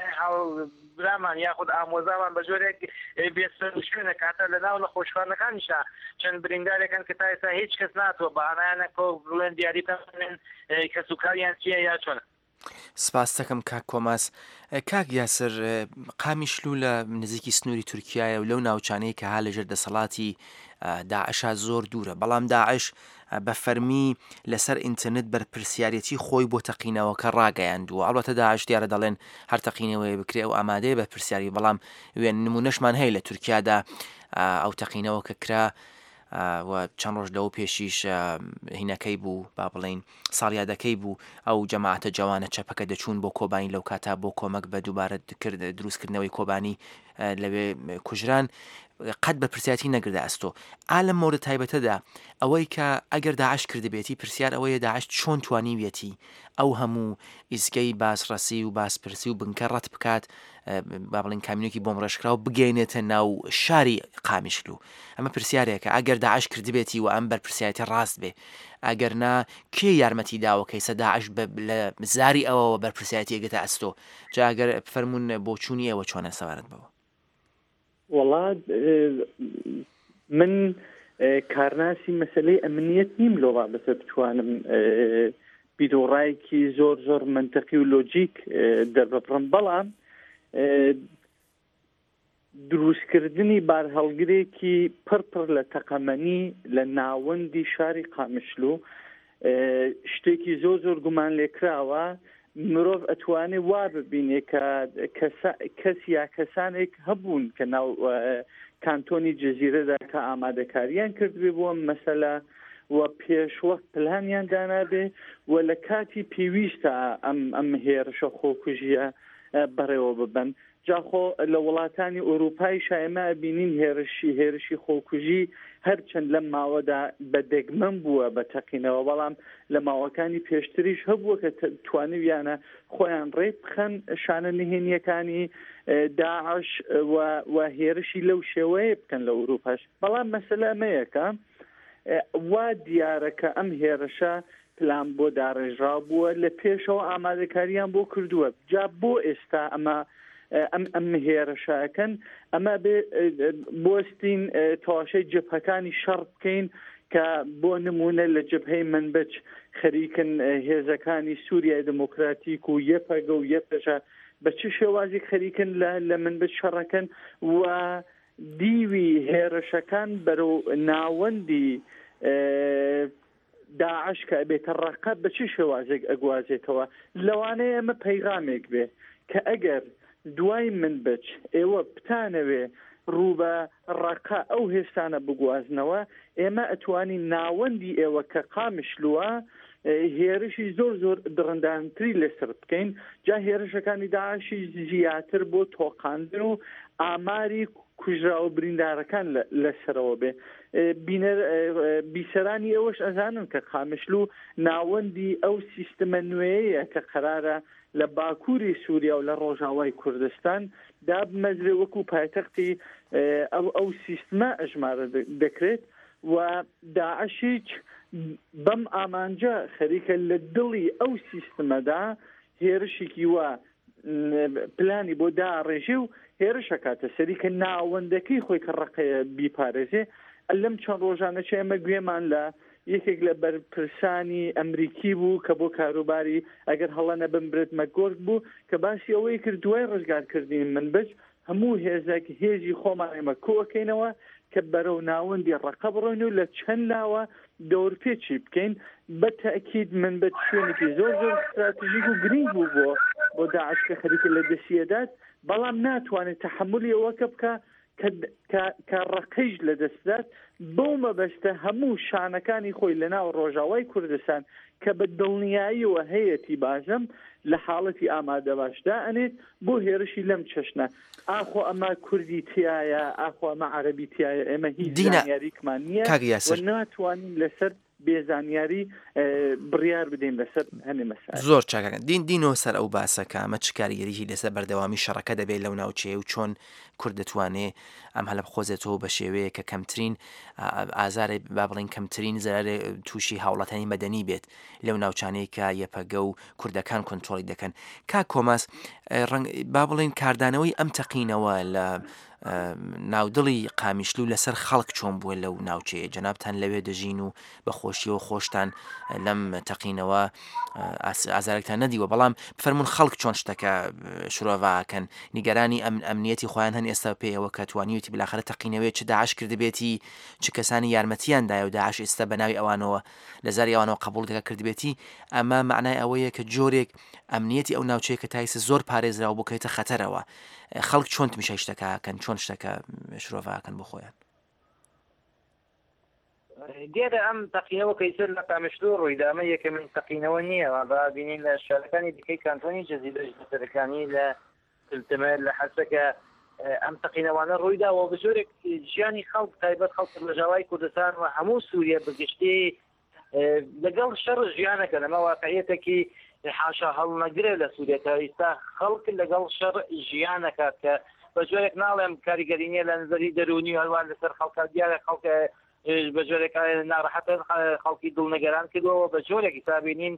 برامان یاخود ئامۆزامان بە جۆرێک بێسەروشوێنە کاتە لە ناو نەخۆشخانەکانیشا چەند بریندارێکن کە تا ئێستا هیچ کەس ناتوە بە هانایانە کۆ بڵێن دیاری بکەن کەسوکاریان چییە یا چۆنە. سپاست دەکەم کاک کۆماس. کاک یاسر، قامیشلو لە نزیکی سنووری تورکیایە و لەو ناوچانەی کە ها لەژێر دەسەڵاتی داعشا زۆر دوورە، بەڵام داعش بە فەرمی لەسەر ئینتەرنێت بەرپرسیارێتی خۆی بۆ تەقینەوەکە ڕاگەیاندووە. ئەڵبەتە داعش دیارە دەڵێن هەر تەقینەوەیە بکرێ ئەو ئامادەیە بەرپرسیاری، بەڵام وێن نموونەشمان هەیە لە تورکیادا ئەو تەقینەوە کە کرا و چەند ڕۆژ لەوە پێشیش هینەکەی بوو با بڵێین ساڵیادەکەی بوو ئەو جەماعەتە جەوانە چەپەکە دەچوون بۆ کۆبانی لەو کاتا بۆ کۆمەک بە دووبارە دروستکردنەوەی کۆبانی لەوێ کوژران قەت بە پرسیاتی نەگردە ئەستۆ ئا لەم مۆرە تایبەتەدا ئەوەی کە ئەگەر داعش کردبێتی پرسیار ئەوەیە داعش چۆن توانیویەتی ئەو هەموو ئیزگەی بازڕەسی و بازپرسی و بنکە ڕەت بکات با بڵێین کامیونێکی بۆمڕێژکراو بگەینێتە ناو شاری قامیشلو ئەمە پرسیارێکە ئەگەر داعش کردبێتی و ئەم بەرپرسیارەتی ڕاست بێ ئەگەر نا کێ یارمەتی داوە کەیسە داعش لە زاری ئەوەوە بەرپرسیارەتی ئەگێتە ئەستۆ جا ئەگەر فەرموون بۆچوونی ئێوە چۆنە سەبارەت بەوە؟ وەڵا من کارناسی مەسلەی ئەمنیەت نیم لۆ بابەتە بتوانم بیرۆڕایەکی زۆر زۆر منتەقی و لۆجیک دەرببڕم بەڵام دروستکردنی بارهەڵگرێکی پڕ پڕ لە تەقەمەنی لە ناوەندی شاری قامشلو شتێکی زۆر زۆر گومان لێکراوە مرۆڤ ئەتوانێ وا ببینێ کە کەس یا کەسانێک هەبوون کە ناو کانتۆنی جززیرەدا کە ئامادەکاریان کردبێ بۆ مەسەلە و پێشوەخت پلانیان دانابێ و لە کاتی پێویستە ئەم ئەم هێرشە خۆکوژیە بەڕێوە ببن جا خۆ لە وڵاتانی ئورووپایشا ئێمە ئەبینین هێرشی هێرشی خۆکوژی هەرچەند لەم ماوەدا بە دەگمەن بووە بە تەقینەوە بەڵام لە ماوەکانی پێشتریش هەبووە کە توانیویانە خۆیان ڕێک بخەن شانە نهێنییەکانی داعش و و هێرشی لەو شێوەیە بکەن لە ئورووپاش بەڵام مەسەلە ئەمەیە کە وا دیارە کە ئەم هێرشە پلان بۆ داڕێژراو بووە لە پێشەوە ئامادەکاریان بۆ کردووە جا بۆ ئێستا ئەمە ئەم ئەم هێرشەکەن ئەمە بێ بۆستین تەواشەی جبهەکانی شەڕ بکەین کە بۆ نمونە لە جبهەی منبج خەریکن هێزەکانی سووریای دموکراتیک و یەپەگە و یەپەژە بە چ شێوازی خەریکن لە لە منبج شەڕەکەن و دیوی هێرشەکان بەرەو ناوەندی داعش کە ئەبێتە ڕەقە بە چ شێوازێک ئەگوازێتەوە؟ لەوانەیە ئەمە پەیغامێک بێ کە ئەگەر دوای منبج ئێوە بتانەوێ ڕوو بە ڕەقە ئەو هێستانە بگوازنەوە، ئێمە ئەتوانین ناوەندی ئێوە کە قامشلووە هێرشی زۆر زۆر دڕندانتری لەسەر بکەین، جا هێرشەکانی داعشیش زیاتر بۆ تۆقاندن و ئاماری کوژراوە بریندارەکان لەسەرەوە بێ. بینەر بیسەرانی ئێوەش ئەزانن کە قامشلو ناوەندی ئەو سیستمە نوێیە کە قەرارە لە باکووری سووریا و لە ڕۆژاوای کوردستان دابمەزرێ وەکو پایتەختی ئەو ئەو سیستمە ئەژمارە دەکرێت و داعشیچ بەم ئامانجە خەریکە لە دڵی ئەو سیستمەدا هێرشێکی وا پلانی بۆ داڕێژێ و هێرش ئەکاتە سەری کە ناوەندەکەی خۆی کە ڕەقەیە بیپارێزێ. لەم چەند ڕۆژانە چ ئێمە گوێمان لە یەکێک لە بەرپرسانی ئەمریکی بوو کە بۆ کاروباری ئەگەر هەڵە نەبم برێت مەکگۆرک بوو کە باسی ئەوەی کرد دوای ڕزگارکردنی منبج هەموو هێزێک هێزی خۆمان ئێمە کۆئەکەینەوە کە بەرەو ناوەندی ڕەقە بڕۆین و لە چەند لاوە دەورپێچی بکەین بە تەئکید منبج شوێنێکی زۆر زۆر ستراتژیک و گرینگ بوو بۆ بۆ داعش کە خەریکە لە دەستی ئەدات بەڵام ناتوانێت تەحەمولی ئەوەکە بکا کە کە کە ڕەقەیش لە دەست بدات بەو مەبەستە هەموو شانەکانی خۆی لە ناو ڕۆژاوای کوردستان کە بە دڵنیاییەوە هەیەتی بازم لە حاڵەتی ئامادەباش دائەنێت بۆ هێرشی لەم چەشنە. ئاخۆ ئەمە کوردی تیایە، ئاخۆ ئەمە عەرەبی تیایە، ئێمە هیچ دینا زانیاریکمان نییە کاک و یاسر. ناتوانین لەسەر بێ زانیاری بڕیار بدەین لەسەر هەنێ مەسائل. زۆر چاکە دین دینەوە سەر ئەو باسە کە ئەمە چ کاریگەریی لەسەر بەردەوامی شەڕەکە دەبێت لەو ناوچەیە و چۆن کورد دەتوانێ ئەم هەلە بقۆزێتەوە بە شێوەیەک کە کەمترین ئازارێ با بڵێین کەمترین زەرەرێ تووشی هاوڵاتیانی مەدەنی بێت لەو ناوچانەی کە یەپەگە و کوردەکان کۆنترۆڵی دەکەن. کاک کۆماس ڕەنگ با بڵێین کاردانەوەی ئەم تەقینەوە لە ناودڵی قامیشلو لەسەر خەڵک چۆن بووە لەو ناوچەیە جەنابتان لەوێ دەژین و بە خۆشیەوە خۆشتان لەم تەقینەوە ئازارێکتان نەدیوە بەڵام بفەرمونون خەڵک چۆن شتەکە شرۆڤاکەن نیگەرانی ئەم ئەمنیەتی خۆیان هەن ئێستا پێیەوە کە توانیوتی بلاخرە تەقینەوەی چ داعش کردبێتی چ کەسانی یارمەتیان دایە و داعش ئێستا بە ناوی ئەوانەوە لە زاری ئەوانەوە قبوڵ دەکات کردبێتی، ئەمە مەعنای ئەوەیە کە جۆرێک ئەمنیەتی ئەو ناوچەیە کە تا ئیستا زۆر پارێزراوە بکەوێتە خەتەرەوە. خەڵک چۆن تمیشای شتەکە ئەکەن، چۆن شتەکە شرۆڤە ئەکەن بۆ خۆیان؟ دیارە ئەم تەقینەوە کە ئیستا لە قامشلۆ ڕوویدا ئەمە یەکەمین تەقینەوە نییە، با بینین لە شارەکانی دیکەی کانتۆنی جزیرەش لە سەرەکانی لە تلتمر لە حەسەکە ئەم تەقینەوانە ڕوویداوە بە جۆرێک ژیانی خەڵک تایبەت خەڵکی ڕۆژاوای کوردستان و هەموو سووریە بەگشتی لەگەڵ شەڕ ژیانەکە لەمە واقعیەتێکی حاشا هەڵنەگرە لە سووریە کە ئیستا خەڵک لەگەڵ شەڕ ژیانەکات کە بە جۆرێک ناڵێم کاریگەری نییە لە نظری دەروونی و هەروە لەسەر خەڵکە دیارە خەڵک بە جۆرێک ناڕەحەتە خەڵکی دڵنگەران کردەوە بە جۆرێک ئیستا بینین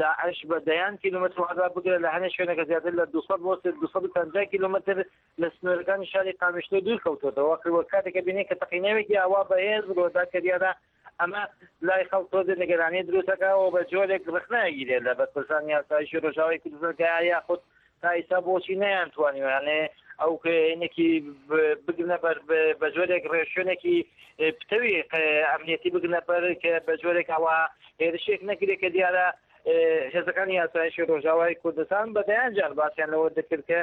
داعش بە دەیان کیلۆمەتر و هەتا بگرە لە هەنێ شوێنەکە زیاتر لە 200 بۆ 250 کیلۆمەتر لە سنوورەکانی شاری قامیشلۆ دوور کەوتۆتەوە وە کاتێکە بینین کە تەقینەوێکی ئاوا بەهێز ڕوودا کە دیارە ئەمە لای خەڵک تۆزێ نیگەرانی دروست دەکا و بە جۆرێک ڕەخنە ئەگیرێت لە بەرپرسانی ئاسایشی ڕۆژاوای کوردستان کە یاخود تا ئیستا بۆچی نەیانتوانیوە یانێ ئەو کەینێکی بگرنە بەر بە جۆرێک ڕێشوێنێکی پتەوی ئەمنیەتی بگرنە بەر کە بە جۆرێک ئەوە هێرشێک نەکرێت کە دیارە هێزەکانی ئاسایشی ڕۆژاوای کوردستان بە دەیان جار باسیان لەوە دەکرد کە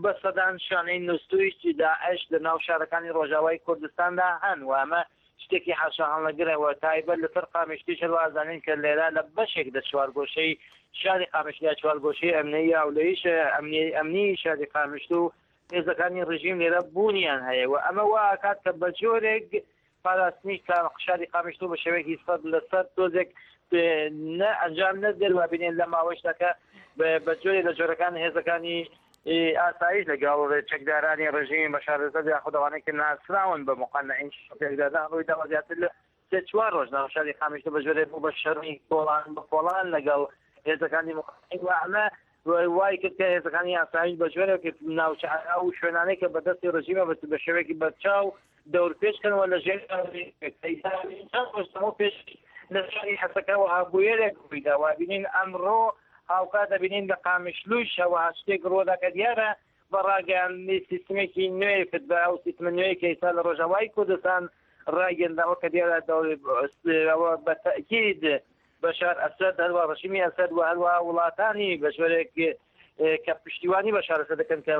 بە سەدان شانەی نوستووی داعش لە ناو شارەکانی ڕۆژاوای کوردستاندا هەن و ئەمە شتێکی حاشاهەڵنەگرە و تایبەت لەسەر قامیشلیش هەروا ئەزانین کە لێرە لە بەشێک لە چوارگۆشەی شاری قامیشلی یا چوارگۆشەی ئەمنی یا ئەولەیش ئەمنی ئەمنی شاری قامیشلو هێزەکانی ڕژیم لێرە بوونیان هەیە و ئەمە وا ئەکات کە بە جۆرێک پاراستنی شاری قامیشلو بە شێوەیەکی سەد لەسەر تۆزێک نە ئەنجام نەدرێت و بینێن لە ماوەیشدا کە بە جۆرێک لە جۆرەکان هێزەکانی ئاسایش لەگەڵ چەکدارانی ڕژیمی بەشار ئەسەد یاخود ئەوانەی کە ناسراون بە موقەنەعین پێکدادان ڕوویداوە زیاتر لە سێ چوار ڕۆژ ناو شاری قامیشلو بە جۆرێک بوو بە شەڕی کۆڵان بە کۆڵان لەگەڵ هێزەکانی موقەنەعین و ئەمە وای کرد کە هێزەکانی ئاسایش بە جۆرێک ناوچە ئەو شوێنانەی کە بەدەستی ڕژیمە بە شێوەیەکی بەرچاو دەورپێچ کەن و لە ژێر چەند ڕۆژ لەمەو پێش لە شاری حەسەکە وەها بویەرێک ڕوویدا و بینین ئەمڕۆ هاوکات دەبینین لە قامیشلوش هەوەها شتێک ڕوودا کە دیارە بە ڕاگەیاندنی سیستمێکی نوێی فتبا ئەو سیستمە نوێی کە ئێستا لە ڕۆژاوای کوردستان ڕاگەنداوە کە دیارە ئەوە بە تەئکید بەشار ئەسەد هەروە ڕژیمی ئەسەد و هەروەها وڵاتانی بە جۆرێک کە پشتیوانی بەشار ئەسەد دەکەن کە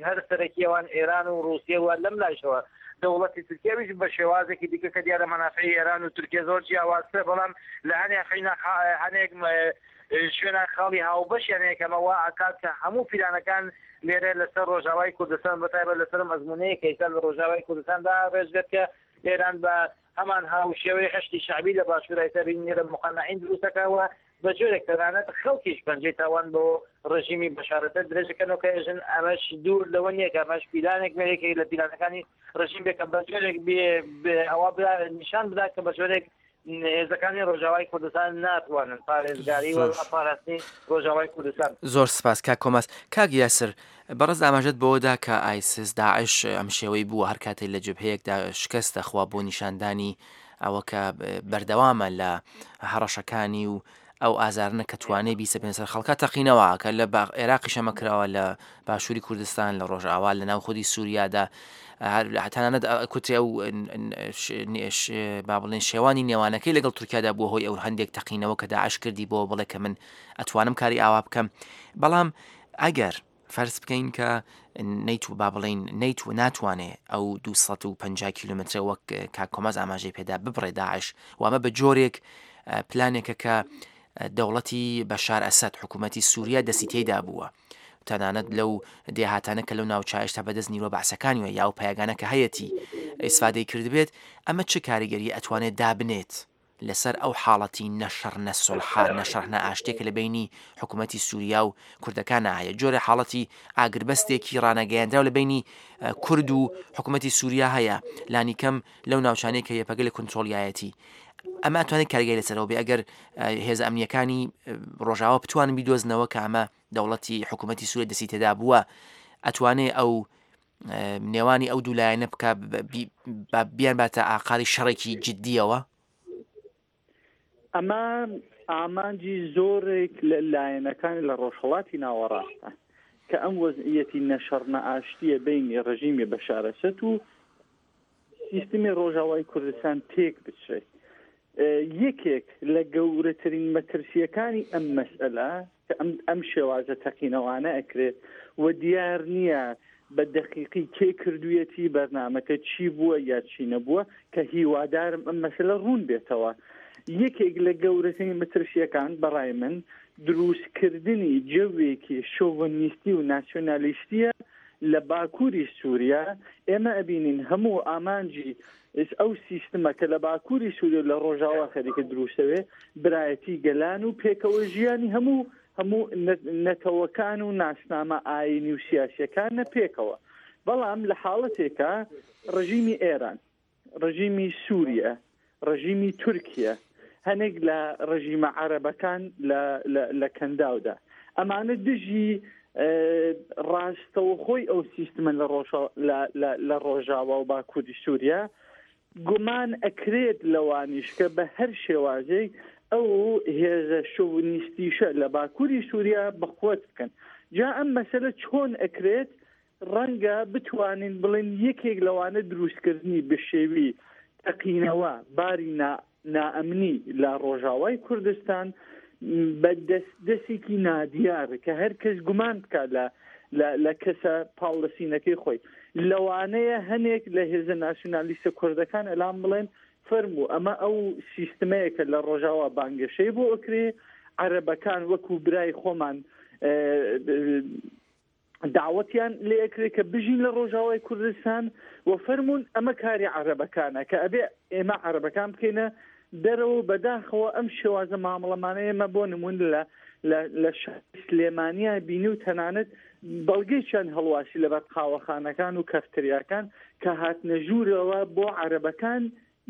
هەر سەرەکی ئەوان ئێران و ڕووسیە و لەم لایشەوە دەوڵەتی تورکیاویش بە شێوازێکی دیکە کە دیارە مەنافعی ئێران و تورکیا زۆر جیاوازترە بەڵام لە هەنێک حینا هەنێک شوێنە خاڵی هاوبەشیان هەیە کە ئەمە وا ئەکات کە هەموو پیلانەکان لێرە لەسەر ڕۆژاوای کوردستان بەتایبەت لەسەر ئەم ئەزموونەیە کە ئێستا لە ڕۆژاوای کوردستاندا ڕێژ کە ئێران بە هەمان هاوشێوەی حەشدی شەعبی لە باشوور ئێستا بینی لە موقەنەعین دروست دەکا و بە جۆرێک تەنانەت خەڵکیش پەنجەی تاوان بۆ ڕژیمی بەشار ئەسەد درێژ دەکەنەوە کە ئێژن ئەمەش دوور لەوە نییە کە ئەمەش پیلانێک بێ یەکێک لە پیلانەکانی ڕژیم بێ کە بە جۆرێک بێ ئەوە نیشان بدا کە بە جۆرێک هێزەکانی ڕۆژاوای کوردستان ناتوانن پارێزگاری و پاراستنی ڕۆژاوای کوردستان. زۆر سپاس کاک کۆماس. کاک یاسر، بەڕێز ئاماژەت بەوە دا کە ئایسس، داعش، ئەم شێوەی بووە هەر کاتێ لە جبهەیەکدا شکست دەخوا بۆ نیشاندانی ئەوە کە بەردەوامە لە هەڕەشەکانی و ئەو ئازارنە کە توانێ بیسەپێنە سەر خەڵکا تەقینەوە کە لە عێراقیش ئەمە کراوە لە باشووری کوردستان لە ڕۆژئاوا لە ناو خودی سووریادا تەنانەت کوترێ ئەو با بڵێن شێوانی نێوانەکەی لەگەڵ تورکیادا بووە هۆی ئەو هەندێک تەقینەوە کە داعش کردی بۆ بڵێ کە من ئەتوانم کاری ئاوا بکەم بەڵام ئەگەر فەرز بکەین کە نەیت با بڵین نەیت و ناتوانێ ئەو 250 کیلومترە وەک کاک کۆماز ئاماژەی پێدا ببڕێ داعش وامە بە جۆرێک پلانێکە کە دەوڵەتی بەشار ئەسەد حکوومەتی سووریا دەستی تێدا بووە تەنانەت لەو دێهاتانە کە لەو ناوچە هێشتا بەدەست نیوە بەعسەکانیوە یا ئەو پایگانە کە هەیەتی ئیسفادەی کردبێت ئەمە چ کاریگەری ئەتوانێت دابنێت لەسەر ئەو حاڵەتی نە شەڕ نە سوڵحە نە شەڕ نە ئاشتیە کە لە بەینی حکوومەتی سووریا و کوردەکانا هەیە جۆرە حاڵەتی ئاگربەستێکی ڕانەگەیەندراو لە بەینی کورد و حکوومەتی سووریا هەیە لانیکەم لەو ناوچانەی کە یەپەگە لە کونترۆڵیایەتی ئەمە ئەتوانێت کاریگەری لەسەرەوە بێ ئەگەر هێزە ئەمنیەکانی ڕۆژاوا بتوانن بیدۆزنەوە کە ئەمە دەوڵەتی حکوومەتی سووریا دەستی تێدا بووە ئەتوانێ ئەو نێوانی ئەو دوو لایەنە بکە بیان باتە ئاقاری شەڕێکی جددیەوە؟ ئەمە ئامانجی زۆرێک لە لایەنەکان لە ڕۆژهەڵاتی ناوەڕاستە کە ئەم وەزعیەتی نەشەڕ نەئاشتیە بینی ڕژیمی بەشارەسەت و سیستمی ڕۆژاوای کوردستان تێک بچێت. یەکێک لە گەورەترین مەترسییەکانی ئەم مەسئەلە کە ئەم ئەم شێوازە تەقینەوانە ئەکرێت و دیار نییە بە دەقیقی کێ کردوویەتی، بەرنامەکە چی بووە یا چی نەبووە، کە هیوادارم ئەم مەسەلە ڕوون بێتەوە. یەکێک لە گەورەترین مەترسییەکان بە ڕای من دروستکردنی جەوێکی شۆڤنیستی و ناسیۆنالیستییە لە باکووری سووریا، ئێمە ئەبینین هەموو ئامانجی ئەو سیستمە کە لە باکووری سووریا و لە ڕۆژاوا خەریکە دروستەوێ، برایەتی گەلان و پێکەوە ژیانی هەموو هەموو نەتەوەکان و ناسنامە ئایینی و سیاسییەکانە پێکەوە. بەڵام لە حاڵەتێکا ڕژیمی ئێران، ڕژیمی سووریە، ڕژیمی تورکیە، هەنێک لە ڕژیمە عەرەبەکان لە لە کەنداودا، ئەمانە دژی ڕاستەوخۆی ئەو سیستمە لە لە ڕۆژاوا و باکووری سووریا، گومان ئەکرێت لەوانیش کە بە هەر شێوازێک ئەو هێزە شۆونیستیشە لە باکووری سووریا بەقوەت بکەن. جا ئەم مەسەلە چۆن ئەکرێت؟ ڕەنگە بتوانین بڵێین یەکێک لەوانە دروستکردنی بشێوی تەقینەوە باری نائەمنی لە ڕۆژاوای کوردستان بە دەست دەسێکی نادیار کە هەر کەس گومان بکات لە لە کەسە پاڵلەسینەکەی خۆی لەوانەیە هەنێک لە هێزە ناسیونالیستە کوردەکان ئەلام بڵێن فەرموو ئەمە ئەو سیستمەیە کە لە ڕۆژاوا بانگەشەی بۆ ئەکرێ عەرەبەکان وەکو برای خۆمان داوەتیان لێ ئەکرێ کە بژین لە ڕۆژاوای کوردستان و فەرموون ئەمە کاری عەرەبەکانە کە ئەبێ ئێمە عەرەبەکان بکەینە دەرەوە و بەداخەوە ئەم شێوازە مامەڵەمانە ئێمە بۆ نموون لە لە شاری سلێمانیا بینی و تەنانەت بەڵگەیشیان هەڵواسی لەبەر قاوەخانەکان و کەفتریاکان کە هاتنە ژوورەوە بۆ عەرەبەکان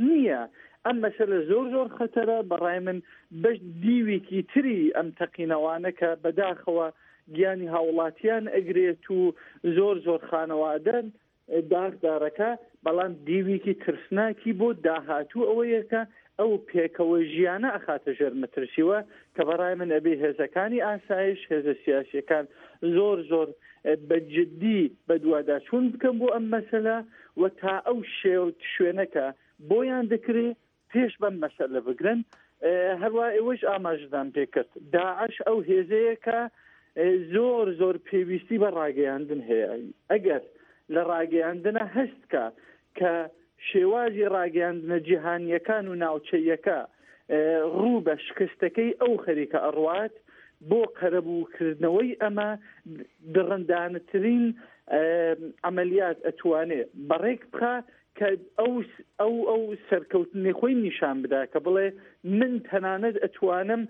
نییە ئەم مەسەلە زۆر زۆر خەتەرە بەڕای من بەش دیوێکی تری ئەم تەقینەوانە کە بەداخەوە گیانی هاوڵاتیان ئەگرێت و زۆر زۆر خانەوادەن داخدارەکە بەڵام دیوێکی ترسناکی بۆ داهاتوو ئەوەیە کە ئەو پێکەوە ژیانە ئەخاتە ژێر مەترسیوە کە بەڕای من ئەبێ هێزەکانی ئاسایش هێزە سیاسیەکان زۆر زۆر بە جدی بەدواداچوون بکەن بۆ ئەم مەسەلە و تا ئەو شوێنەکە بۆیان دەکرێ پێش بەم مەسەلە بگرن هەروە ئێوەش ئاماژەتان پێکرد داعش ئەو هێزەیە کە زۆر زۆر پێویستی بە ڕاگەیاندن هەیە ئەگەر لە ڕاگەیاندنە هەستکە کە شێوازی ڕاگەیاندنە جیهانییەکان و ناوچەییەکە ڕوو بە شکستەکەی ئەو خەریکە ئەڕوات، بۆ قەرەبووکردنەوەی ئەمە دڕندانەترین عەمەلیات ئەتوانێ بەڕێک بخا کە. کە ئەو ئەو ئەو سەرکەوتنی خۆی نیشان بدا کە بڵێ من تەنانەت ئەتوانم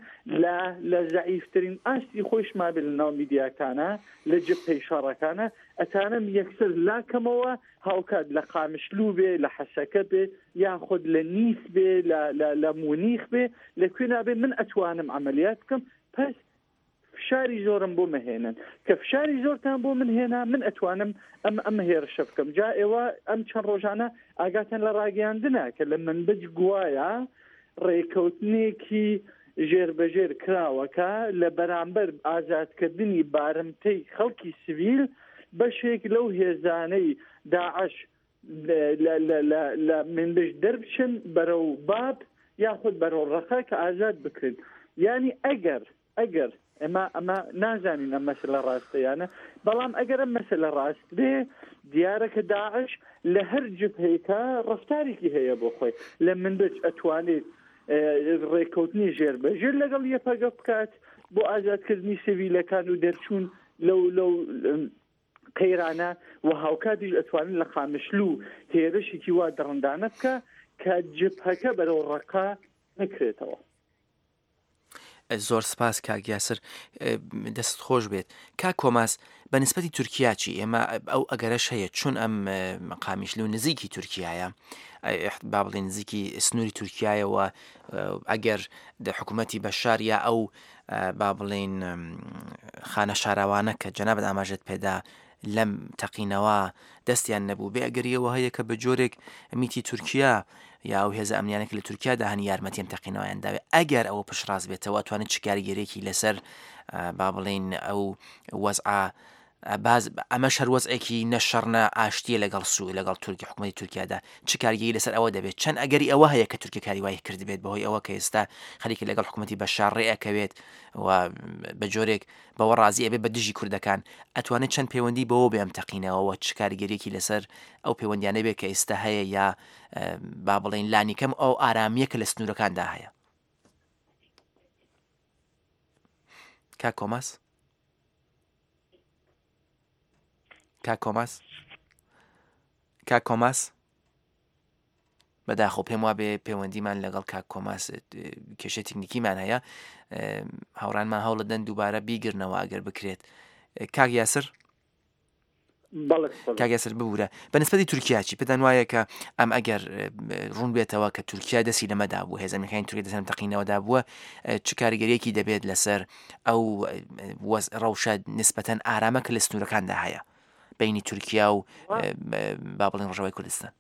لە لە زەعیفترین ئاستی خۆیشما بێ لە ناو میدیاکانە لە جبهەی شەڕەکانە ئەتانم یەکسەر لاکەمەوە هاوکات لە قامشلوو بێ لە حەسەکە بێ یاخود لە نیس بێ لە لە لە مونیخ بێ لە کوێ نابێ من ئەتوانم عەمەلیات بکەم پس فشاری زۆرم بۆ مەهێنن کە فشاری زۆرتان بۆ من هێنا من ئەتوانم ئەم ئەم هێرشە بکەم جا ئێوە ئەم چەند ڕۆژانە ئاگاتان لە ڕاگەیاندنە کە لە منبج گوایە ڕێکەوتنێکی ژێربەژێر کراوە کە لە بەرامبەر ئازادکردنی بارمتەی خەڵکی سڤیل بەشێک لەو هێزانەی داعش لە منبج دەربچن بەرەو باب یاخود بەرەو ڕەقە کە ئازاد بکرێن یانی ئەگەر ئەگەر ئێمە ئەمە نازانین ئەم مەسلە ڕاستە یانە بەڵام ئەگەر ئەم مەسلە ڕاست بێ دیارە کە داعش لە هەر جبهەیەکە ڕفتارێکی هەیە بۆ خۆی لە منبج ئەتوانێت ڕێککەوتنی ژێر بە ژێر لەگەڵ یەپەگە بکات بۆ ئازادکردنی سڤیلەکان و دەرچوون لەو لەو قەیرانە و هاوکاتیش ئەتوانن لە قامشلو هێرشێکی وا دڕندانە بکە کە جبهەکە بەرەو ڕەقە نەکرێتەوە. زۆر سپاس کاک یاسر دەست خۆش بێت کاک کۆماس بە نسبەتی تورکیا چی ئێمە ئەو ئەگەرەش هەیە چون ئەم قامیشلو نزیکی تورکیایە با بڵێن نزیکی سنووری تورکایەوە ئەگەر دە حکوومەتی بەشار یا ئەو با بڵێین خانە شاراوانە کە جەنابت ئاماژەت پێدا لەم تەقینەوە دەستیان نەبوو بێ ئەگەریەوە هەیە کە بە جۆرێک میتی تورکیا یا ئەو هێزە ئەمنیانە کە لە تورکیادا هەن یارمەتیم تەقینەوەیان داوێ ئەگەر ئەوە پشتڕاست بێتەوە توانێت چ کاریگەرێکی لەسەر با بڵین ئەو وەزعە باز ئەمەش هەر وەزعێکی نە شەڕ نە ئاشتیە لەگەڵ سو لەگەڵ تورکی حکومەتی تورکیادا چ کاریگەری لەسەر ئەوە دەبێت چەند ئەگەری ئەوە هەیە کە تورکیا کاری وای کردبێت بەهۆی ئەوە کە ئێستا خەریکە لەگەڵ حکومەتی بەشار ڕێ ئەکەوێت و بە جۆرێک بەوە ڕازی ئەبێت بە دژی کوردەکان ئەتوانێت چەند پەیوەندی بەوە بێ ئەم تەقینەوەوە چ کاریگەریەکی لەسەر ئەو پەیوەندیانە بێت کە ئێستا هەیە یا با بڵێین لانیکەم ئەو ئارامیە کە لە سنوورەکاندا هەیە کاک کۆماس کاک کۆماس کاک کۆماس بەداخۆ پێم وابێ پەیوەندیمان لەگەڵ کاک کۆماس کێشە تکنیکیمان هەیە هاوڕانمان هەوڵەدەن دووبارە بیگرنەوە ئەگەر بکرێت کاک یاسر کاک یاسر ببورە بە نسبەتی تورکیا چی پێتان وایە کە ئەم ئەگەر ڕوون بێتەوە کە تورکیا دەستی لەمەدا بوو هێزە ئەمریکایان تورکیا دەستیان تەقینەوەدا بووە چ کاریگەریەکی دەبێت لەسەر ئەو ڕەوشە نسبەتەن ئارامە کە لە سنوورەکاندا هەیە بینی تورکیا و با بڵێن ڕۆژاوای کوردستان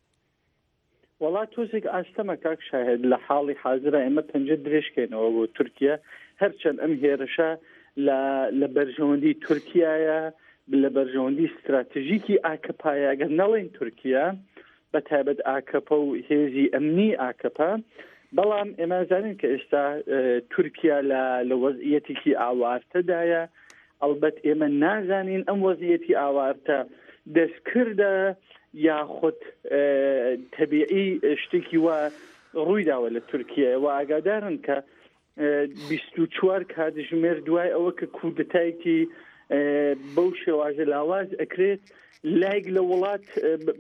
وەڵا تۆزێک ئاستەمە کاک شاهد لە حاڵی حازرا ئێمە پەنجە درێژکەینەوە بۆ تورکیا هەرچەند ئەم هێرشە لە لە بەرژەوەندی تورکیایە لە بەرژەوەندی ستراتژیکی ئاکەپایە ئەگەر نەڵێن تورکیا بە تایبەت ئاکەپە و هێزی ئەمنی ئاکەپە بەڵام ئێمە زانین کە ئێستا تورکیا لە لە وەزعیەتێکی ئاوارتەدایە ئەڵبەت ئێمە نازانین ئەم وەزعیەتی ئاوارتە دەستکردە یاخود تەبیعی شتێکی وا ڕوویداوە لە تورکیە و ئاگادارن کە 24 کاتژمێر دوای ئەوە کە کودەتایەکی بەو شێوازە لاواز ئەکرێت لایک لە وڵات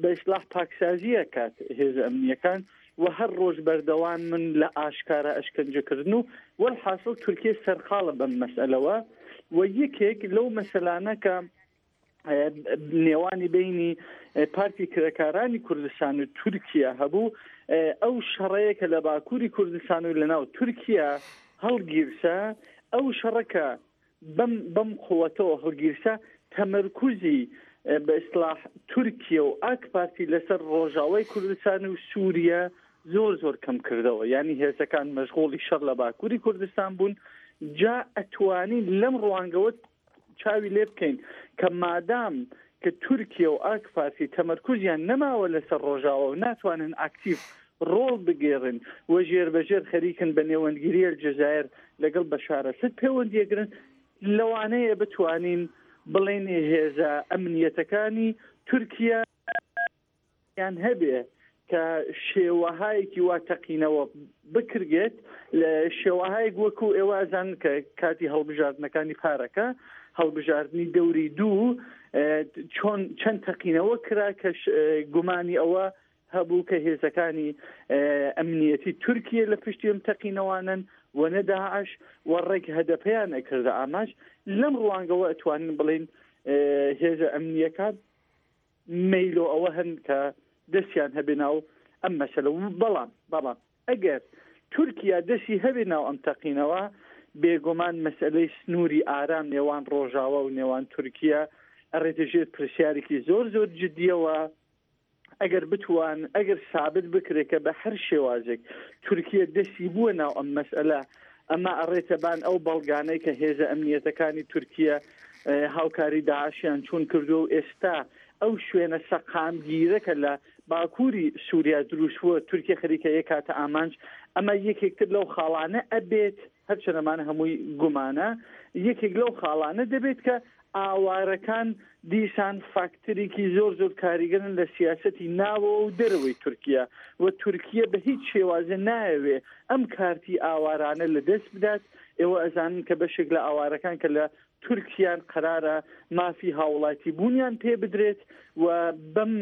بە ئیسلاح پاکسازیە کات هێزە ئەمنیەکان و هەر ڕۆژ بەردەوام من لە ئاشکارا ئەشکەنجەکردن و وەلحاسڵ تورکیە سەرقاڵە بەم مەسئەلەوە و یەکێک لەو مەسەلانە کە نێوانی بینی پارتی کرێکارانی کوردستان و تورکیا هەبوو ئەو شەڕەیە کە لە باکووری کوردستان و لەناو تورکیا هەڵگیرسا ئەو شەڕەکە بەم بەم قوەتەوە هەڵگیرسا تەمەرکوزی بە ئیسلاح تورکیە و ئاک پارتی لەسەر ڕۆژاوای کوردستان و سووریە زۆر زۆر کەم کردەوە یانی هێزەکان مەشغوڵی شەڕ لە باکووری کوردستان بوون جا ئەتوانین لەم ڕوانگەوە چاوی لێ بکەین کە مادام کە تورکیە و ئاک پارتی تەمەرکوزیان نەماوە لەسەر ڕۆژاوا و ناتوانن ئاکتیڤ ڕۆڵ بگێڕن و ژێربەژێر خەریکن بە نێوەندگیری ئەلجەزایر لەگەڵ بەشار ئەسەد پەیوەندیەگرن، لەوانەیە بتوانین بڵێین هێزە ئەمنیەتەکانی تورکیا یان هەبێ کە شێوەهایەکی وا تەقینەوە بکرگێت لە شێوەهایەک وەکو ئێوە ئەزانن کە کاتی هەڵبژاردنەکانی پارەکە هەڵبژاردنی دەوری دوو چۆن چەند تەقینەوە کرا کە گومانی ئەوە هەبوو کە هێزەکانی ئەمنیەتی تورکیە لە پشتی ئەم تەقینەوانەن و نە داعش و ڕێک هەدەپەیان ئەکردە ئامانج. لەم ڕوانگەوە ئەتوانین بڵێین هێزە ئەمنیەکان مەیلۆ ئەوە هەن کە دەستیان هەبێ ناو ئەم مەسەلە و بەڵام بەڵام ئەگەر تورکیا دەستی هەبێ ناو ئەم تەقینەوە بێگومان مەسەلەی سنووری ئارام نێوان ڕۆژاوا و نێوان تورکیا ئەڕێتە ژێر پرسیارێکی زۆر زۆر جدیەوە. ئەگەر بتوان ئەگەر سابت بکرێت کە بە هەر شێوازێک تورکیە دەستی بووە ناو ئەم مەسئلە ئەمە ئەڕێتە بان ئەو بەڵگانەی کە هێزە ئەمنیەتەکانی تورکیە هاوکاری داعشیان چوون کردووە و ئێستا ئەو شوێنە سەقامگیرە کە لە باکووری سووریا دروست بووە تورکیە خەریکە یەکاتە ئامانج ئەمە یەکێکتر لەو خاڵانە ئەبێت هەرچەند ئەمانە هەمووی گومانە، یەکێک لەو خاڵانە دەبێت کە ئاوارەکان دیسان فاکتەرێکی زۆر زۆر کاریگەرن لە سیاسەتی ناوەوە و دەرەوەی تورکیا و تورکیە بە هیچ شێوازێ نایەوێ ئەم کارتی ئاوارانە لە دەست بدات. ئێوە ئەزانن کە بەشێک لە ئاوارەکان کە لە تورکیان قەرارە مافی هاوڵاتی بوونیان پێ بدرێت و بەم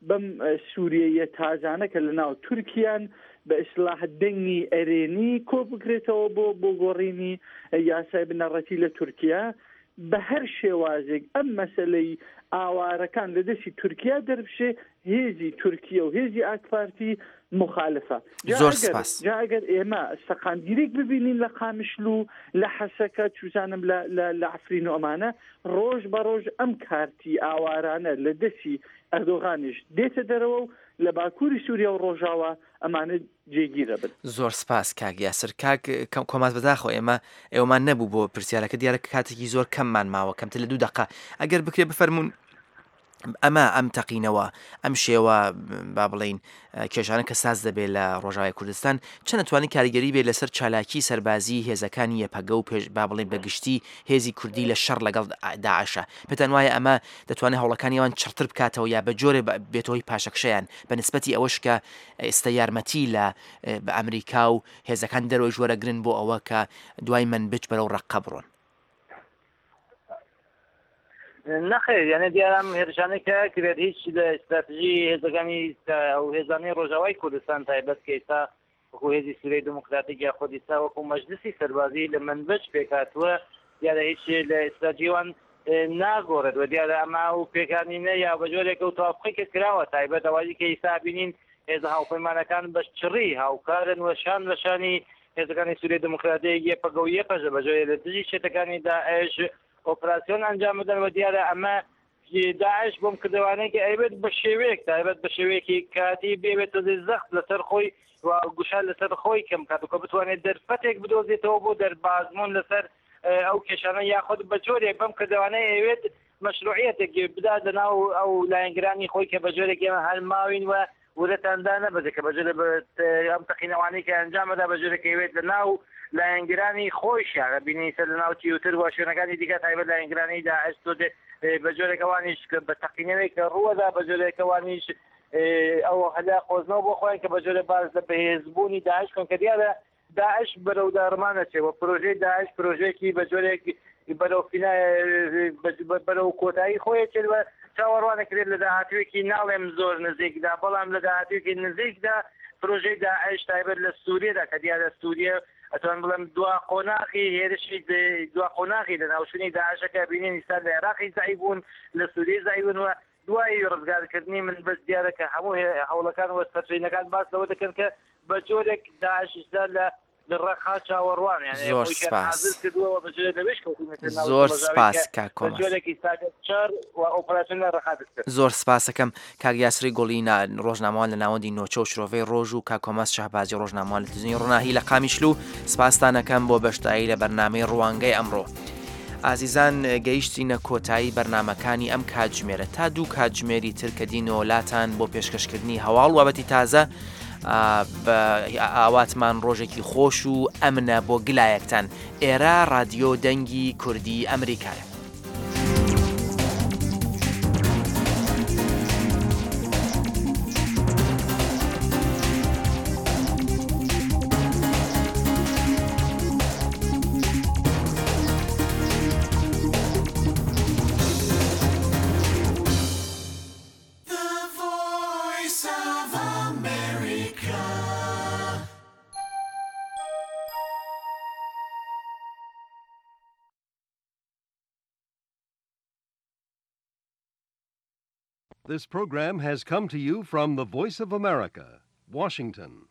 بەم سوریەییە تازانە کە لە ناو تورکیان بە ئیسلاح دەنگی ئەرێنی کۆ بکرێتەوە بۆ بۆ گۆڕینی یاسای بنەڕەتی لە تورکیا بە هەر شێوازێک ئەم مەسەلەی ئاوارەکان لە دەستی تورکیا دەربچێ هێزی تورکیە و هێزی ئاکپارتی مخالفە جا زۆر ئەگەر سپاس. جا ئەگەر ئێمە سەقامگیریک ببینین لە قامیشلو لە حەسەکە چوزانم لە لە لە عەفرین و ئەمانە ڕۆژ بە ڕۆژ ئەم کارتی ئاوارانە لە دەستی ئەردۆغانیش دێتە دەرەوە و لە باکووری سووریا و ڕۆژاوا ئەمانە جێگیر ئەبن. زۆر سپاس کاک یاسر. کاک کۆماز بەداخەوە ئێمە ئێوەمان نەبوو بۆ پرسیارەکە دیارە کاتێکی زۆر کەممان ماوە کەمتر لە دوو دەقە ئەگەر بکرێ بفەرموون ئەمە ئەم تەقینەوە ئەم شێوە با بڵین کێشانە کە ساز دەبێت لە ڕۆژاوای کوردستان چەند ئەتوانێت کاریگەری بێت لەسەر چالاکی سەربازی هێزەکانی یەپەگە و پێش با بڵێین بە گشتی هێزی کوردی لە شەڕ لەگەڵ داعشە پێتان وایە ئەمە دەتوانێت هەوڵەکانی ئەوان چڕتر بکاتەوە یا بە جۆرێ بێتە هۆی پاشەکشەیان بە نسبەتی ئەوەش کە ئێستا یارمەتی لە بە ئەمریکا و هێزەکان دەرەوەیش وەرەگرن بۆ ئەوە کە دوای مەنبج بەرەو ڕەققە بڕۆن؟ نەخێر یانە دیارە ئەم هێرشانەی کە کرێت هیچ لە ئیستراتژی هێزەکانی ئەو هێزانەی ڕۆژاوای کوردستان تایبەت کە ئێستا وەکو هێزی سووریای دموکراتیک یاخود ئیستا وەکو مەجلسی سەربازی لە منبج پێکهاتووە دیارە هیچ لە ئیستراتژی وان ناگۆڕێت و دیارە ئەمە ئەو پێکانینە یا بە جۆرێک ئەو توافقی کە کراوە تایبەت ئەوەی کە ئیستا بینین هێزە هاوپەیمانەکان بە چڕی هاوکارن و شان بە شانی هێزەکانی سووریای دموکراتیک یەپەگە و یەپەژە بە جۆرێ لە دژی چەتەکانی داعش ئۆپراسیۆن ئەنجام بدەن و دیارە ئەمە داعش بۆم کردەوانەی کە ئەیبێت بە شێوەیەک تایبەت بە شێوەیەکی کاتی بێوێت تۆزێ زەخت لەسەر خۆی و گوشار لەسەر خۆی کەم کات و کە بتوانێت دەرفەتێک بدۆزێتەوە بۆ دەربازبوون لەسەر ئەو کێشانە یاخود بە جۆرێک بەم کردەوانەی ئەیەوێت مەشروعیەتێک بدات لەناو ئەو لایەنگرانی خۆی کە بە جۆرێک ئێمە هەر ماوین و ورەتان دانەبەزێ کە بە جۆرێ ئەم تەقینەوانەی کە ئەنجامەدا بە جۆرێک ئەیەوێت لە ناو لایەنگرانی خۆیشیان بینی سەر لە ناو تیوتر و شوێنەکانی دیکە تایبەت لایەنگرانی داعش تۆزێ بە جۆرێک ئەوانیش بە تەقینەوەی کە ڕووەدا بە جۆرێک ئەوانیش ئەو هەلا قۆزنەوە بۆ خۆیان کە بە جۆرێ باس لە بەهێزبوونی داعش کەن کە دیارە داعش بەرەو داڕمان ئەچێ و پرۆژەی داعش پرۆژەیەکی بە جۆرێک بەرەو فینا بەرەو کۆتایی خۆی ئەچێت و چاوەڕوان ئەکرێت لە داهاتوویەکی ناڵێم زۆر نزیکدا بەڵام لە داهاتوویەکی نزیکدا پرۆژەی داعش تایبەت لە سووریەدا کە دیارە سووریە ئەتوانم بڵێم دوا قۆناغی هێرشی دوا قۆناغی لەناوچوونی داعشە کە بینین ئیستا لە عێراقی زەعیف بوون لە سووریە زەعیف بوون و دوای ڕزگارکردنی منبج دیارە کە هەموو هەوڵەکان و سەرچینەکان باس لەوە دەکەن کە بە جۆرێک داعش ئیستا لە ڕەقا چاوەڕوان یانی زۆر خۆیشیان سپاس. حازر کردووە و بە جۆرێک لەوێش کەوتوونەتە ناو زۆر شڵەژاوی سپاس کە کاک بە کۆماز. جۆرێک ئیستا شەڕ و ئۆپەراسیۆن لە ڕەقا دەست پێ زۆر سپاسەکەم کاک یاسری گوڵی نا ڕۆژنامەوان لە ناوەندی نۆچە و شرۆڤەی ڕۆژ و کاک کۆماز شەهبازی ڕۆژنامەوان لە تلویزیۆنی ڕۆناهی لە قامیشلو سپاستان ئەکەم بۆ بەشداری لە بەرنامەی ڕوانگەی ئەمڕۆ. ئازیزان گەیشتینە کۆتایی بەرنامەکانی ئەم کاتژمێرە تا دوو کاتژمێری تر کە دینەوە لاتان بۆ پێشکەشکردنی هەواڵ وابەتی تازە ئاواتمان ڕۆژێکی خۆش و ئەمنە بۆ گلایەکتان ئێرە ڕادیۆ دەنگی کوردی ئەمریکایە. This program has come to you from the Voice of America, Washington.